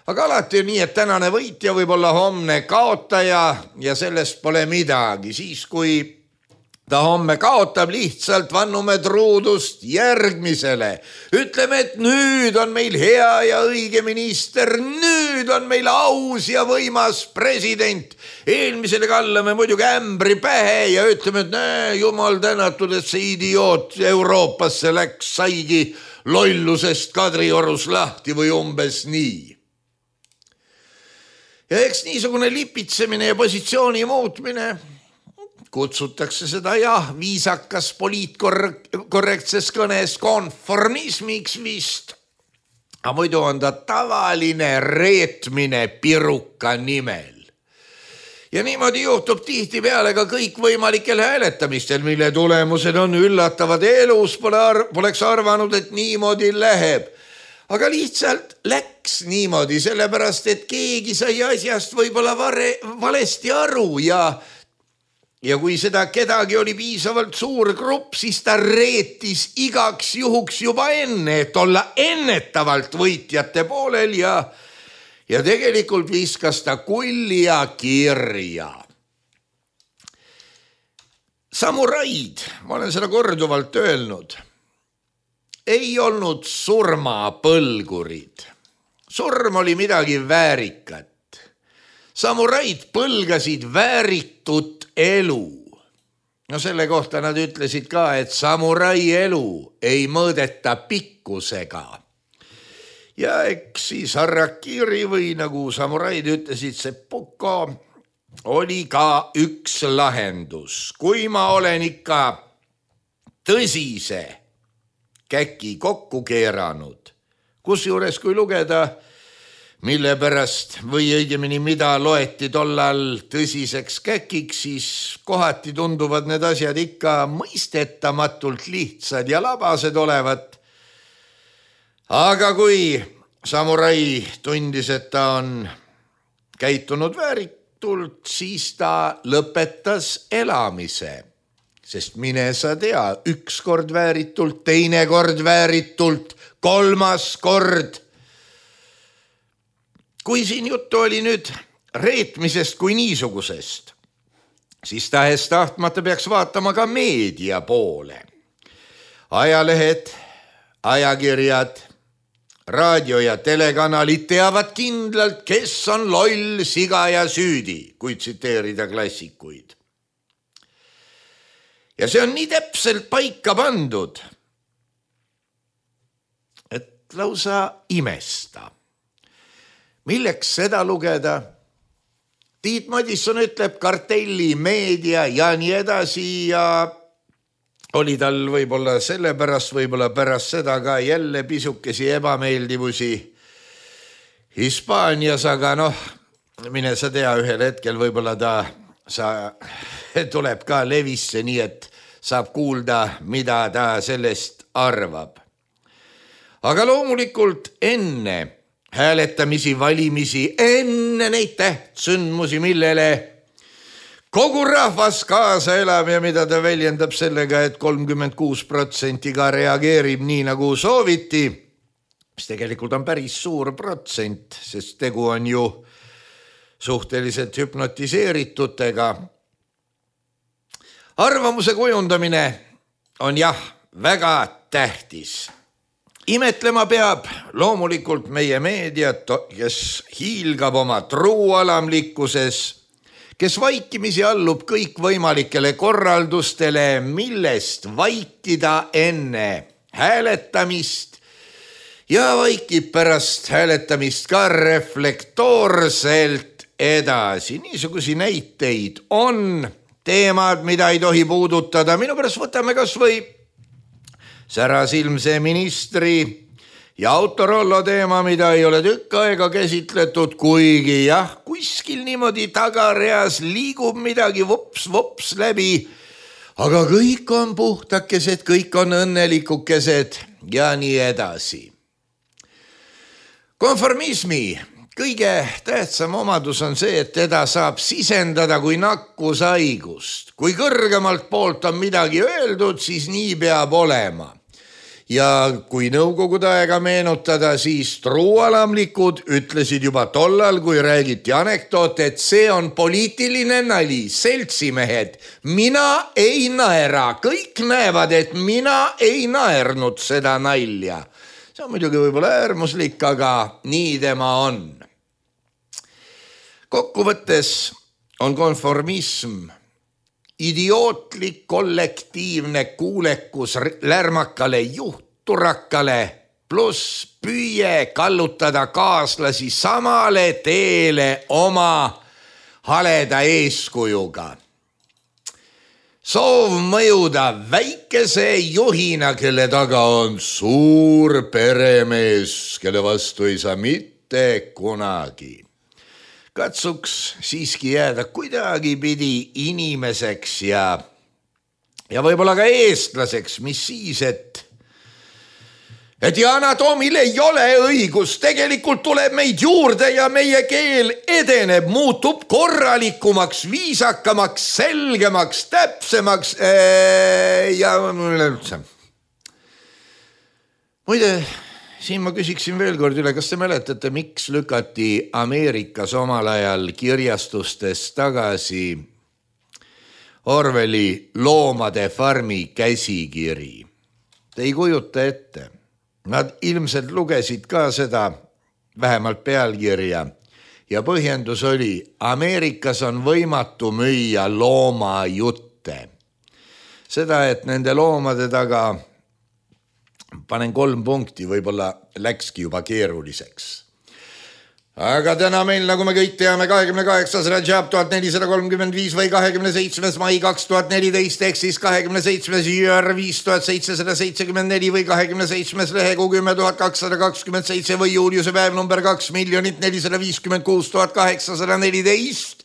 Aga alati on nii, et tänane võitja võib olla homne kaotaja ja sellest pole midagi. Siis, kui ta homme kaotab lihtsalt, vannume truudust järgmisele. Ütleme, et nüüd on meil hea ja õige minister, nüüd on meil aus ja võimas president. Eelmisele kallame muidugi ämbri pähe ja ütleme, et näe, jumal tänatud, et see idioot Euroopasse läks, saigi lollusest Kadriorus lahti või umbes nii. Ja eks niisugune lipitsemine ja positsiooni muutmine kutsutakse seda viisakas poliitkorrektses kõnes konformismiks vist. Aga muidu on ta tavaline reetmine piruka nimel. Ja niimoodi juhtub tihtipeale ka kõikvõimalikel hääletamistel, mille tulemused on üllatavad. Elus poleks arvanud, et niimoodi läheb. Aga lihtsalt läks niimoodi, sellepärast, et keegi sai asjast võib-olla valesti aru ja kui seda kedagi oli piisavalt suur grupp, siis ta reetis igaks juhuks juba enne, et olla ennetavalt võitjate poolel ja tegelikult viskas ta kulli ja kirja. Samuraid, ma olen seda korduvalt öelnud, ei olnud surmapõlgurid. Surm oli midagi väärikat. Samuraid põlgasid vääritut elu. No selle kohta nad ütlesid ka, et samurai elu ei mõõdeta pikkusega. Ja eks siis harakiri või nagu samuraid ütlesid, seppuko oli ka üks lahendus. Kui ma olen ikka tõsise käki kokku keeranud, kusjuures kui lugeda mille pärast või õigemini mida loeti tollal tõsiseks käkiks, siis kohati tunduvad need asjad ikka mõistetamatult lihtsad ja labased olevat. Aga kui samurai tundis, et ta on käitunud vääritult, siis ta lõpetas elamise. Sest mine sa tea, üks kord vääritult, teine kord vääritult, kolmas kord. Kui siin juttu oli nüüd reetmisest kui niisugusest, siis tahes tahtmata peaks vaatama ka meedia poole. Ajalehed, ajakirjad, raadio ja telekanalid teavad kindlalt, kes on loll, siga ja süüdi, kui tsiteerida klassikuid. Ja see on nii täpselt paika pandud, et lausa imesta. Milleks seda lugeda? Tiit Madisson ütleb kartelli, meedia ja nii edasi ja oli tal võib-olla sellepärast, võib-olla pärast seda ka jälle pisukesi ebameeldivusi Hispaanias, aga mine sa tea, ühel hetkel võib-olla ta tuleb ka levisse, nii et saab kuulda, mida ta sellest arvab. Aga loomulikult enne hääletamisi, valimisi, enne neid tähtsündmusi, millele kogu rahvas kaasa elab ja mida ta väljendab sellega, et 36% ka reageerib nii, nagu sooviti, mis tegelikult on päris suur protsent, sest tegu on ju suhteliselt hüpnotiseeritutega. Arvamuse kujundamine on väga tähtis. Imetlema peab loomulikult meie meediat, kes hiilgab oma truualamlikkuses, kes vaikimisi allub kõikvõimalikele korraldustele, millest vaikida enne hääletamist ja vaikib pärast hääletamist ka reflektoorselt edasi. Niisugusi näiteid on, teemad, mida ei tohi puudutada. Minu pärast võtame kas või särasilmse ministri ja Autorollo teema, mida ei ole tükk aega käsitletud, kuigi kuskil niimoodi tagareas liigub midagi vops läbi, aga kõik on puhtakesed, kõik on õnnelikukesed ja nii edasi. Konformismi kõige tähtsam omadus on see, et teda saab sisendada kui nakkushaigust. Kui kõrgemalt poolt on midagi öeldud, siis nii peab olema. Ja kui nõukogude aega meenutada, siis truualamlikud ütlesid juba tollal, kui räägiti anekdoot, et see on poliitiline nali, seltsimehed. Mina ei naera, kõik näevad, et mina ei naernud seda nalja. See on muidugi võib-olla äärmuslik, aga nii tema on. Kokkuvõttes on konformism idiootlik kollektiivne kuulekus lärmakale juhturakale pluss püüe kallutada kaaslasi samale teele oma haleda eeskujuga. Soov mõjuda väikese juhina, kelle taga on suur peremees, kelle vastu ei saa mitte kunagi. Katsuks siiski jääda kuidagi pidi inimeseks ja võib-olla ka eestlaseks, mis siis, et Yana Toomil ei ole õigus, tegelikult tuleb meid juurde ja meie keel edeneb, muutub korralikumaks, viisakamaks, selgemaks, täpsemaks ja üldse. Muide, siin ma küsiksin veel kord üle, kas te mäletate, miks lükati Ameerikas omal ajal kirjastustes tagasi Orwelli Loomade farmi käsikiri? Te ei kujuta ette. Nad ilmselt lugesid ka seda, vähemalt pealkirja, ja põhjendus oli, Ameerikas on võimatu müüa loomajutte. Seda, et nende loomade taga panen 3 punkti, võib-olla läkski juba keeruliseks. Aga täna meil, nagu me kõik teame, 28. Rajab 1435 või 27. mai 2014 ehk siis 27. jüür 5774 või 27. lehekuu 10227 või Juliuse päev number 2 456 814.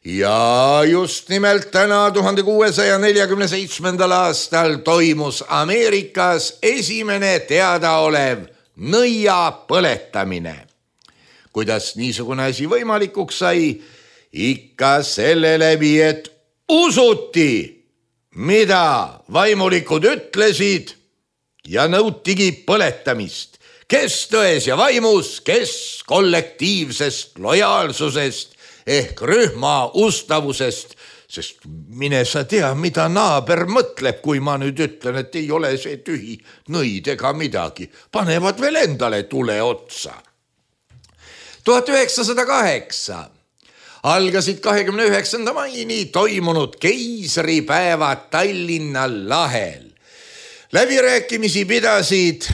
Ja just nimelt täna 1647. aastal toimus Ameerikas esimene teadaolev nõia põletamine. Kuidas niisugune asi võimalikuks sai? Ikka selle läbi, et usuti, mida vaimulikud ütlesid ja nõutigi põletamist. Kes tões ja vaimus, kes kollektiivsest lojaalsusest ehk rühma ustavusest, sest mine sa tea, mida naaber mõtleb, kui ma nüüd ütlen, et ei ole see tühi nõid ega midagi. Panevad veel endale tule otsa. 1908 algasid 29. maini toimunud keisripäevad Tallinna lahel. Läbirääkimisi pidasid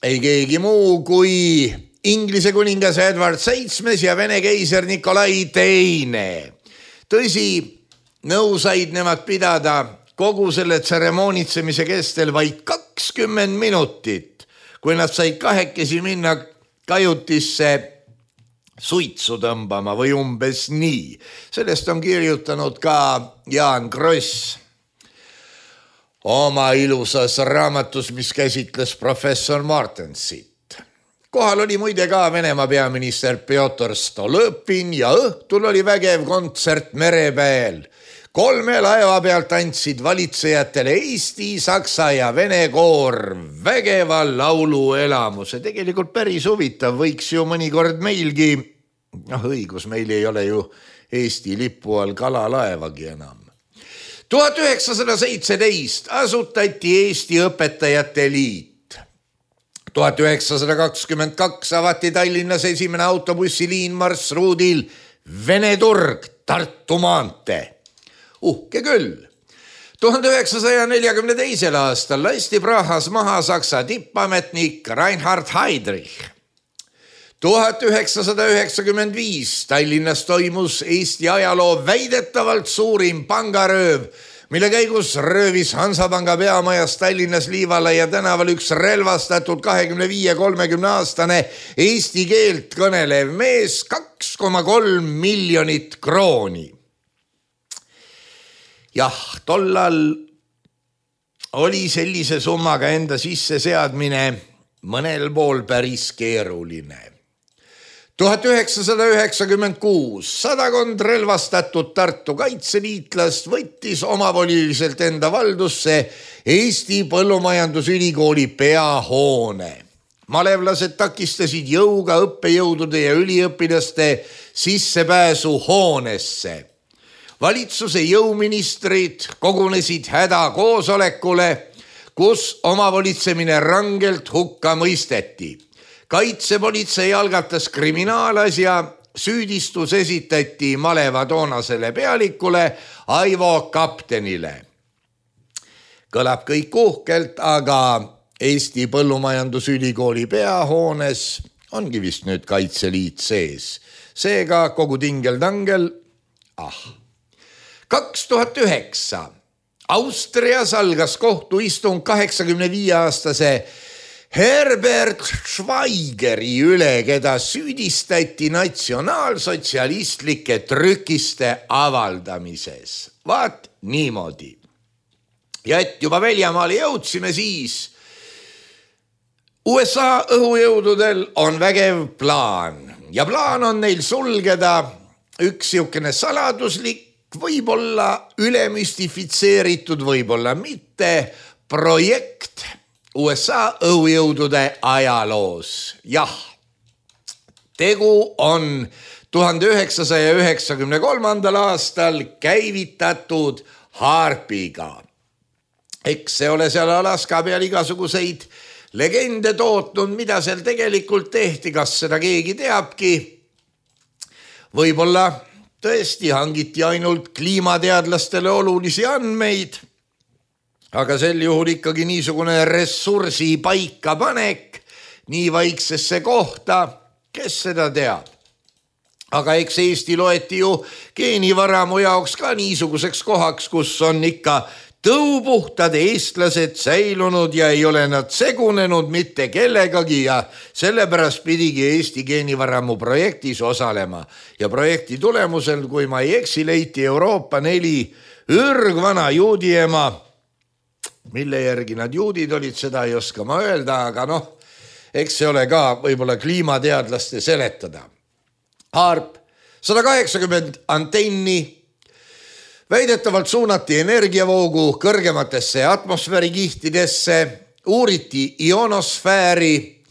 ei keegi muu kui Inglise kuningas Edward VII ja Vene keiser Nikolai II. Tõsi, nõu said nemad pidada kogu selle tseremoonitsemise kestel vaid 20 minutit, kui nad said kahekesi minna kajutisse suitsu tõmbama või umbes nii. Sellest on kirjutanud ka Jaan Kross oma ilusas raamatus, mis käsitles professor Martensit. Kohal oli muide ka Venemaa peaminister Pjotr Stolõpin ja õhtul oli vägev kontsert merepäel. 3 laeva pealt andsid valitsejatele Eesti, Saksa ja Vene koor vägeva lauluelamuse. Tegelikult päris huvitav, võiks ju mõnikord meilgi, õigus, meil ei ole ju Eesti lipu all kalalaevagi enam. 1917 asutati Eesti Õpetajate Liit. 1922 avati Tallinnas esimene autobussiliin marsruudil Vene turg, Tartu maantee. Uhke küll. 1942. aastal lasti Prahas maha Saksa tippametnik Reinhard Heydrich. 1995 Tallinnas toimus Eesti ajaloo väidetavalt suurim pangarööv, mille käigus röövis Hansapanga peamajas Tallinnas Liivalaia tänaval üks relvastatud 25-30 aastane eesti keelt kõnelev mees 2,3 miljonit krooni. Jah, tollal oli sellise summaga enda sisse seadmine mõnel pool päris keeruline. 1996 sadakond relvastatud Tartu kaitseliitlast võttis omavoliliselt enda valdusse Eesti Põllumajandusülikooli peahoone. Malevlased takistasid jõuga õppejõudude ja üliõpilaste sissepääsu hoonesse. Valitsuse jõuministrid kogunesid hädakoosolekule, kus omavolitsemine rangelt hukka mõisteti. Kaitsepolitsei algatas kriminaalasja, süüdistus esitati maleva toonasele pealikule Aivo Kaptenile. Kõlab kõik uhkelt, aga Eesti Põllumajandusülikooli peahoones ongi vist nüüd Kaitseliit sees. Seega kogu tingel-tangel. 2009 Austrias algas kohtuistung 85-aastase Herbert Schweigeri üle, keda süüdistati natsionaalsotsialistlike trükiste avaldamises. Vaat niimoodi. Ja et juba väljamaale jõudsime, siis USA õhujõududel on vägev plaan ja plaan on neil sulgeda üks siukene saladuslik, võib-olla ülemüstifitseeritud, võib-olla mitte projekt USA õhujõudude ajaloos. Jah, tegu on 1993. aastal käivitatud HAARP-iga. Eks see ole seal Alaska peal igasuguseid legende tootnud, mida seal tegelikult tehti, kas seda keegi teabki. Võib-olla tõesti hangiti ainult kliimateadlastele olulisi andmeid, aga sel juhul ikkagi niisugune ressursi paikapanek nii vaiksesse kohta, kes seda teab. Aga eks Eesti loeti ju geenivaramu jaoks ka niisuguseks kohaks, kus on ikka tõupuhtad eestlased säilunud ja ei ole nad segunenud mitte kellegagi ja sellepärast pidigi Eesti geenivaramu projektis osalema. Ja projekti tulemusel, kui ma ei eksi, leiti Euroopa 4 ürgvana juudiema, mille järgi nad juudid olid, seda ei oska ma öelda, aga eks see ole ka võib-olla kliimateadlaste seletada. HAARP 180 antenni väidetavalt suunati energiavoogu kõrgematesse atmosfäärikihtidesse, uuriti ionosfääri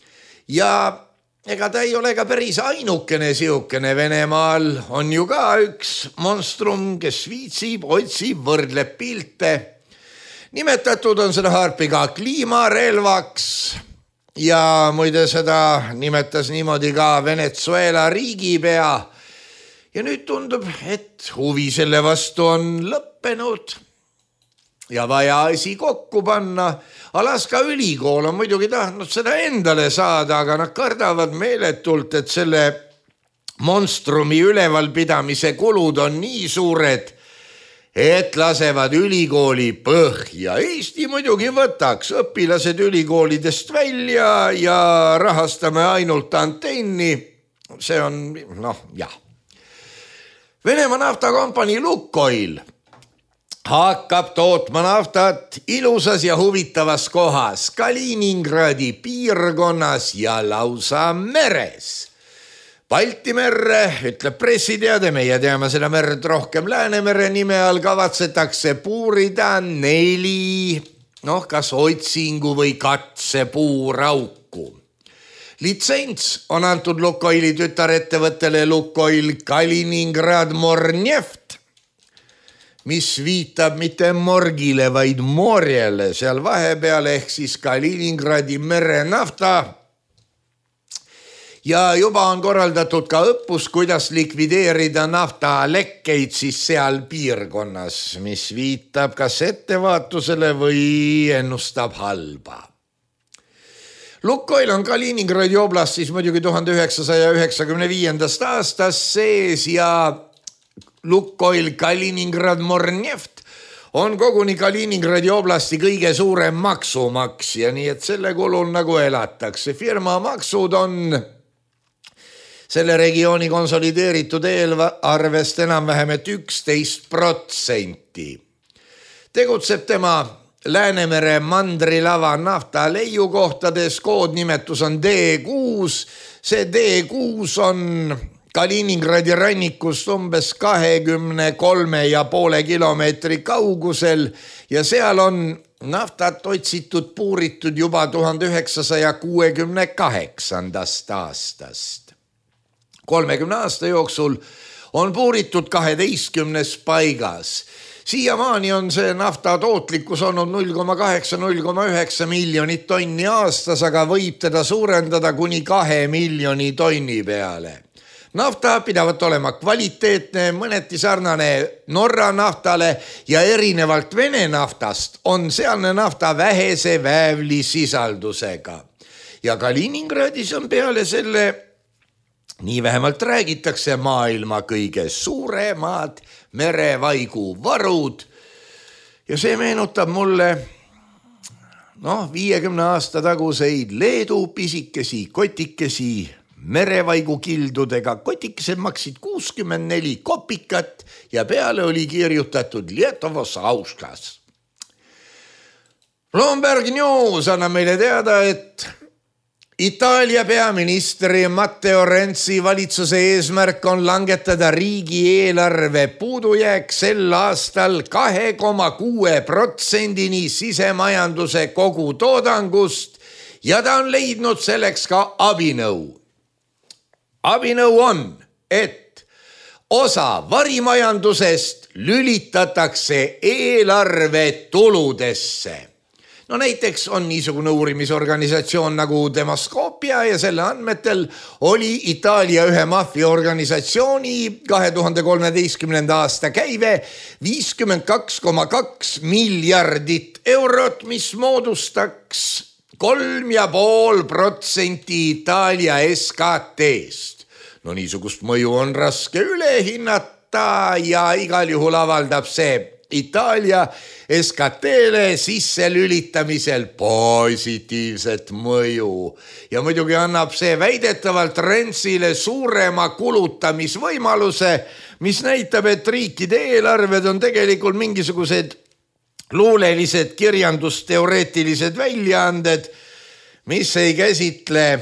ja ega ta ei ole ka päris ainukene siukene. Venemaal on ju ka üks monstrum, kes viitsib, otsib, võrdleb pilte. Nimetatud on seda HAARP-iga kliimarelvaks ja muide seda nimetas niimoodi ka Venezuela riigipea. Ja nüüd tundub, et huvi selle vastu on lõppenud ja vaja asi kokku panna. Alaska ülikool on muidugi tahtnud seda endale saada, aga nad kardavad meeletult, et selle monstrumi ülevalpidamise kulud on nii suured, et lasevad ülikooli põhja. Eesti muidugi võtaks õpilased ülikoolidest välja ja rahastame ainult antenni. See on, jah. Venemaa naftakompanii Lukoil hakkab tootma naftat ilusas ja huvitavas kohas Kaliningradi piirkonnas ja lausa meres. Balti merre, ütleb pressiteade, meie teame seda merd rohkem Läänemere nime all, kavatsetakse puurida 4, kas otsingu või katsepuurauku. Litsents on antud Lukoili tütarettevõttele Lukoil Kaliningrad Morneft, mis viitab mitte morgile, vaid morjele seal vahepeal ehk siis Kaliningradi merenafta. Ja juba on korraldatud ka õppus, kuidas likvideerida naftalekkeid siis seal piirkonnas, mis viitab kas ettevaatusele või ennustab halba. Lukoil on Kaliningradi oblastis muidugi 1995. aastast sees ja Lukoil Kaliningrad Morneft on koguni Kaliningradi oblasti kõige suurem maksumaksja, nii et selle kulul nagu elatakse. Firma maksud on selle regiooni konsolideeritud eelarvest enam-vähem 11%. Tegutseb tema Läänemere mandrilava nafta leiukohtades, koodnimetus on D6. See D6 on Kaliningradi rannikust umbes 23,5 kilomeetri kaugusel ja seal on naftat otsitud, puuritud juba 1968. aastast. 30 aasta jooksul on puuritud 12 paigas. Siiamaani on see nafta tootlikkus olnud 0,8–0,9 miljonit tonni aastas, aga võib teda suurendada kuni 2 miljoni tonni peale. Nafta pidavat olema kvaliteetne, mõneti sarnane Norra naftale ja erinevalt Vene naftast on sealne nafta vähese väävlisisaldusega. Ja Kaliningradis on peale selle, nii vähemalt räägitakse, maailma kõige suuremad merevaigu varud ja see meenutab mulle 50 aasta taguseid Leedu pisikesi kotikesi merevaigu kildudega. Kotikesed maksid 64 kopikat ja peale oli kirjutatud Lietovos Auskas. Bloomberg News annab meile teada, et Itaalia peaministri Matteo Renzi valitsuse eesmärk on langetada riigieelarve puudujääk sel aastal 2,6%-ni sisemajanduse kogutoodangust ja ta on leidnud selleks ka abinõu. Abinõu on, et osa varimajandusest lülitatakse eelarve tuludesse. Näiteks on niisugune uurimisorganisatsioon nagu Demaskopia ja selle andmetel oli Itaalia ühe maffiaorganisatsiooni 2013. aasta käive 52,2 miljardit eurot, mis moodustaks 3,5% Itaalia SKT-st. Niisugust mõju on raske üle hinnata ja igal juhul avaldab see Itaalia SKT-le sisse lülitamisel positiivset mõju. Ja muidugi annab see väidetavalt Renzile suurema kulutamisvõimaluse, mis näitab, et riikide eelarved on tegelikult mingisugused luulelised kirjandusteoreetilised väljaanded, mis ei käsitle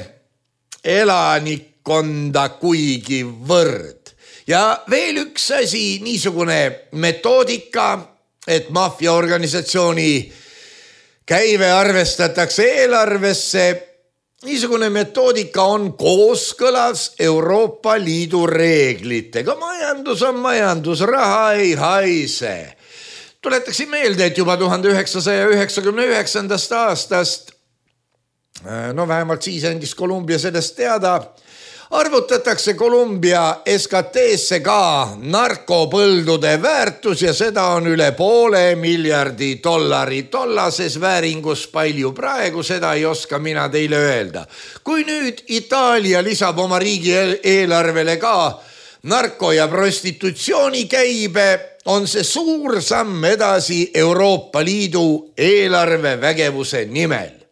elanikkonda kuigi võrd. Ja veel üks asi, niisugune metoodika, et maffiaorganisatsiooni käive arvestatakse eelarvesse. Niisugune metoodika on kooskõlas Euroopa Liidu reeglitega. Majandus on majandus, raha ei haise. Tuletaksin meelde, et juba 1999. aastast, vähemalt siis andis Kolumbia sellest teada, arvutatakse Kolumbia SKT-sse ka narkopõldude väärtus ja seda on üle $500 miljardi. Tollases vääringus palju praegu, seda ei oska mina teile öelda. Kui nüüd Itaalia lisab oma riigi eelarvele ka narko- ja prostitutsiooni käibe, on see suur samm edasi Euroopa Liidu eelarvevägevuse nimel.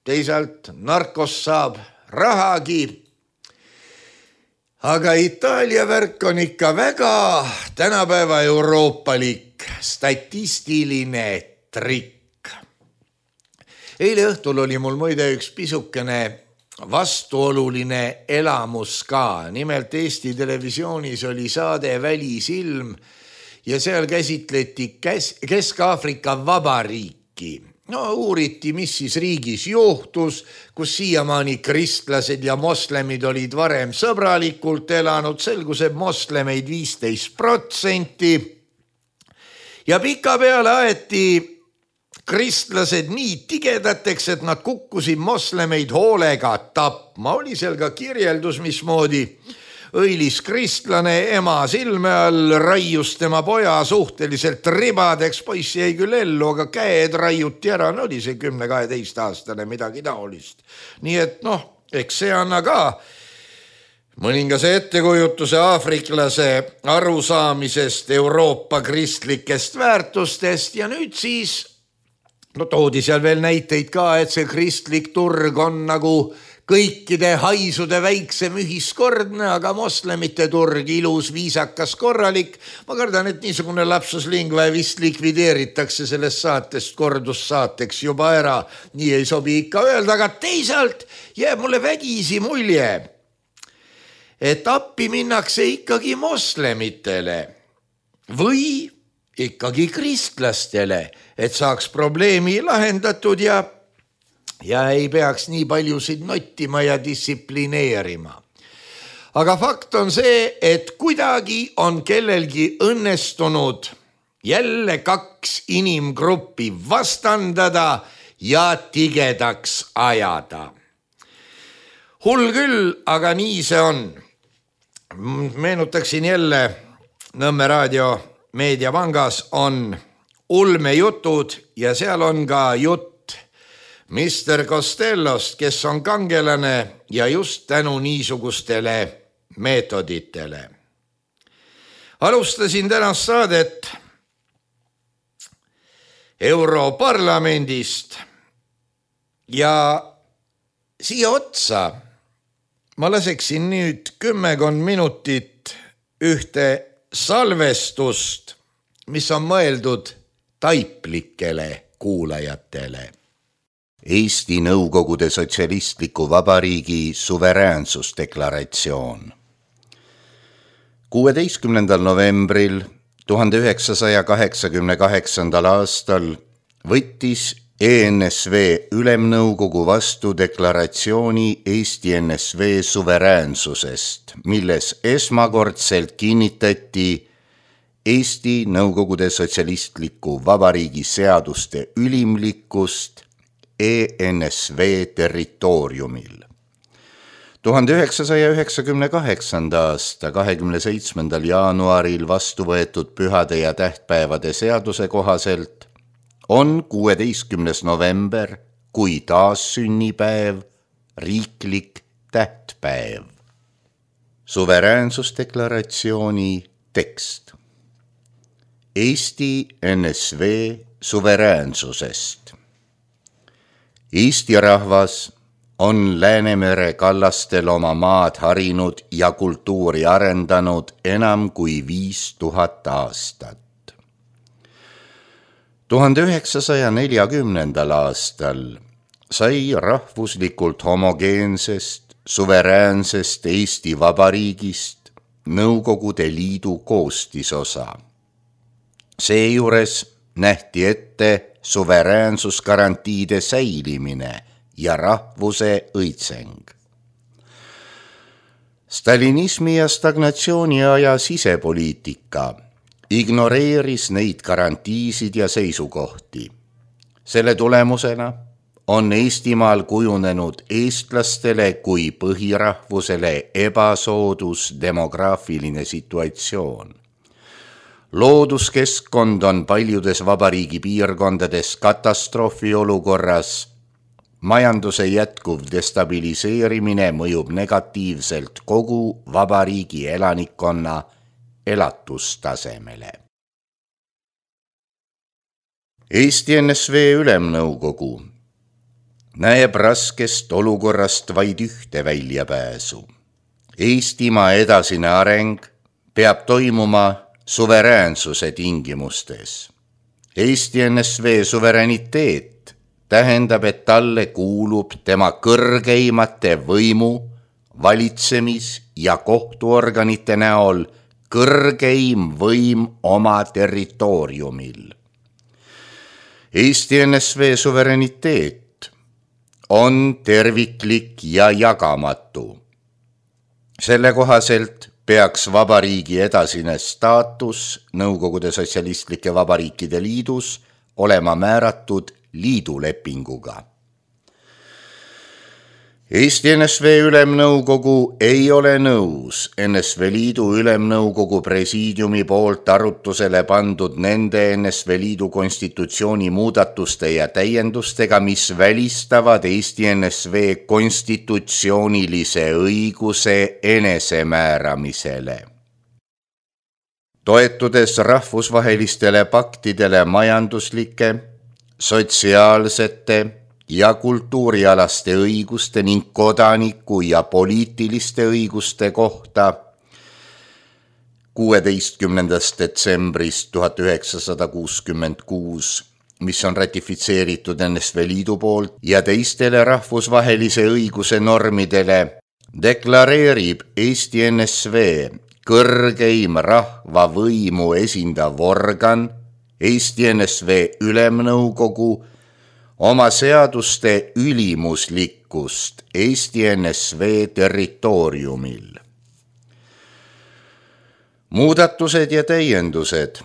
Teisalt narkos saab rahagi, aga Itaalia värk on ikka väga tänapäeva euroopalik statistiline trikk. Eile õhtul oli mul muide üks pisukene vastuoluline elamus ka. Nimelt Eesti televisioonis oli saade Välisilm ja seal käsitleti Kesk-Aafrika Vabariiki. Uuriti, mis siis riigis juhtus, kus siiamaani kristlased ja moslemid olid varem sõbralikult elanud, selgus, et moslemeid 15%. Ja pika peale aeti kristlased nii tigedateks, et nad kukkusid moslemeid hoolega tapma. Oli seal ka kirjeldus, mismoodi õilis kristlane ema silme all raius tema poja suhteliselt ribadeks. Poiss jäi küll ellu, aga käed raiuti ära. Oli see 10-12 aastane midagi taolist. Nii et eks see anna ka mõningase ettekujutuse aafriklase arusaamisest Euroopa kristlikest väärtustest ja nüüd siis toodi seal veel näiteid ka, et see kristlik turg on nagu kõikide haisude väiksem ühiskordne, aga moslemite turg ilus, viisakas, korralik. Ma kardan, et niisugune lapsus lingua vist likvideeritakse sellest saatest kordussaateks juba ära. Nii ei sobi ikka öelda, aga teisalt jääb mulle vägisi mulje, et appi minnakse ikkagi moslemitele või ikkagi kristlastele, et saaks probleemi lahendatud ja ei peaks nii paljusid nottima ja distsiplineerima. Aga fakt on see, et kuidagi on kellelgi õnnestunud jälle kaks inimgruppi vastandada ja tigedaks ajada. Hull küll, aga nii see on. Meenutaksin jälle Nõmme Raadio meediapangas on ulmejutud ja seal on ka jutt Mr. Costellost, kes on kangelane ja just tänu niisugustele meetoditele. Alustasin tänast saadet Europarlamendist ja siia otsa ma laseksin nüüd 10 minutit ühte salvestust, mis on mõeldud taiplikele kuulajatele. Eesti Nõukogude Sotsialistliku Vabariigi suveräänsusdeklaratsioon. 16. novembril 1988. aastal võttis ENSV Ülemnõukogu vastu deklaratsiooni Eesti NSV suveräänsusest, milles esmakordselt kinnitati Eesti Nõukogude Sotsialistliku Vabariigi seaduste ülimlikkust ENSV territooriumil. 1998. aasta 27. jaanuaril vastu võetud pühade ja tähtpäevade seaduse kohaselt on 16. november kui taassünnipäev riiklik tähtpäev. Suveräänsusdeklaratsiooni tekst. Eesti NSV suveräänsusest. Eesti rahvas on Läänemere kallastel oma maad harinud ja kultuuri arendanud enam kui 5000 aastat. 1940. aastal sai rahvuslikult homogeensest, suveräänsest Eesti Vabariigist Nõukogude Liidu koostisosa. Seejuures nähti ette suveräänsusgarantiide säilimine ja rahvuse õitseng. Stalinismi ja stagnatsiooni aja sisepoliitika ignoreeris neid garantiisid ja seisukohti. Selle tulemusena on Eestimaal kujunenud eestlastele kui põhirahvusele ebasoodus demograafiline situatsioon. Looduskeskkond on paljudes vabariigi piirkondades katastroofi olukorras. Majanduse jätkuv destabiliseerimine mõjub negatiivselt kogu vabariigi elanikkonna elatustasemele. Eesti NSV Ülemnõukogu näeb raskest olukorrast vaid ühte väljapääsu. Eestimaa edasine areng peab toimuma suveräänsuse tingimustes. Eesti NSV suveräniteet tähendab, et talle kuulub tema kõrgeimate võimu, valitsemis- ja kohtuorganite näol kõrgeim võim oma territooriumil. Eesti NSV suveräniteet on terviklik ja jagamatu. Selle kohaselt peaks vabariigi edasine staatus Nõukogude Sotsialistlike Vabariikide Liidus olema määratud liidulepinguga. Eesti NSV Ülemnõukogu ei ole nõus NSV Liidu Ülemnõukogu presiidiumi poolt arutusele pandud nende NSV Liidu konstitutsiooni muudatuste ja täiendustega, mis välistavad Eesti NSV konstitutsioonilise õiguse enesemääramisele. Toetudes rahvusvahelistele paktidele majanduslike, sotsiaalsete ja kultuurialaste õiguste ning kodaniku ja poliitiliste õiguste kohta 16. detsembrist 1966, mis on ratifitseeritud NSV Liidu poolt ja teistele rahvusvahelise õiguse normidele, deklareerib Eesti NSV kõrgeim rahvavõimu esindav organ, Eesti NSV Ülemnõukogu, oma seaduste ülimuslikkust Eesti NSV territooriumil. Muudatused ja täiendused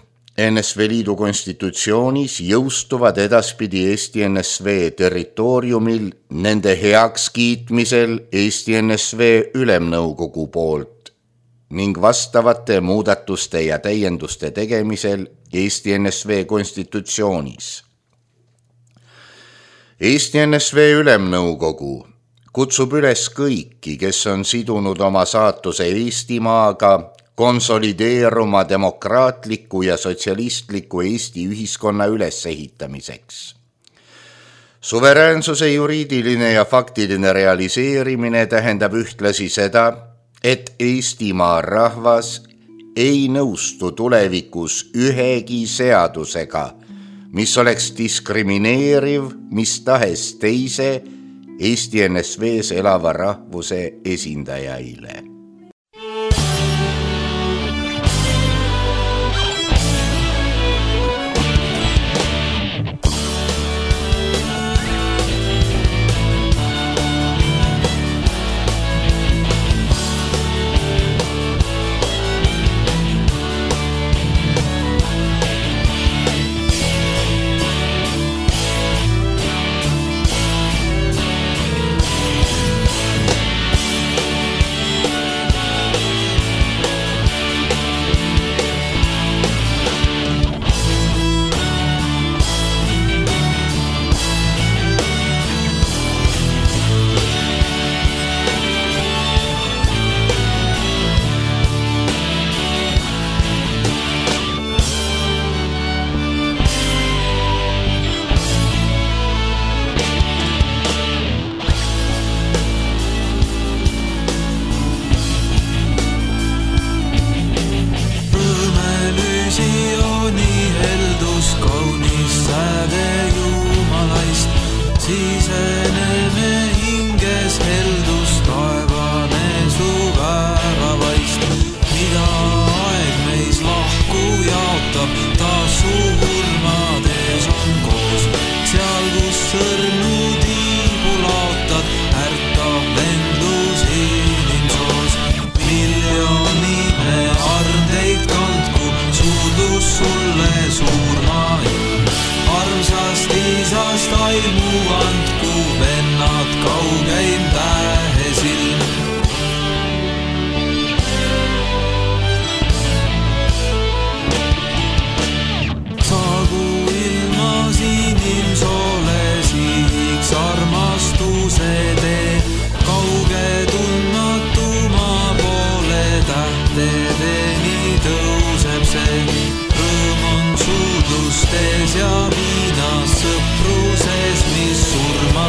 NSV Liidu konstitutsioonis jõustuvad edaspidi Eesti NSV territooriumil nende heakskiitmisel Eesti NSV Ülemnõukogu poolt ning vastavate muudatuste ja täienduste tegemisel Eesti NSV konstitutsioonis. Eesti NSV Ülemnõukogu kutsub üles kõiki, kes on sidunud oma saatuse Eestimaaga, konsolideeruma demokraatliku ja sotsialistliku Eesti ühiskonna ülesehitamiseks. Suveräänsuse juriidiline ja faktiline realiseerimine tähendab ühtlasi seda, et Eestimaa rahvas ei nõustu tulevikus ühegi seadusega, mis oleks diskrimineeriv mis tahes teise Eesti NSV-s elava rahvuse esindajaile. Ja viinas sõpruses, mis surma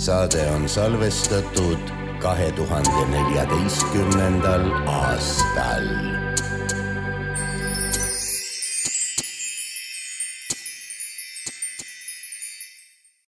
saade on salvestatud 2014. aastal.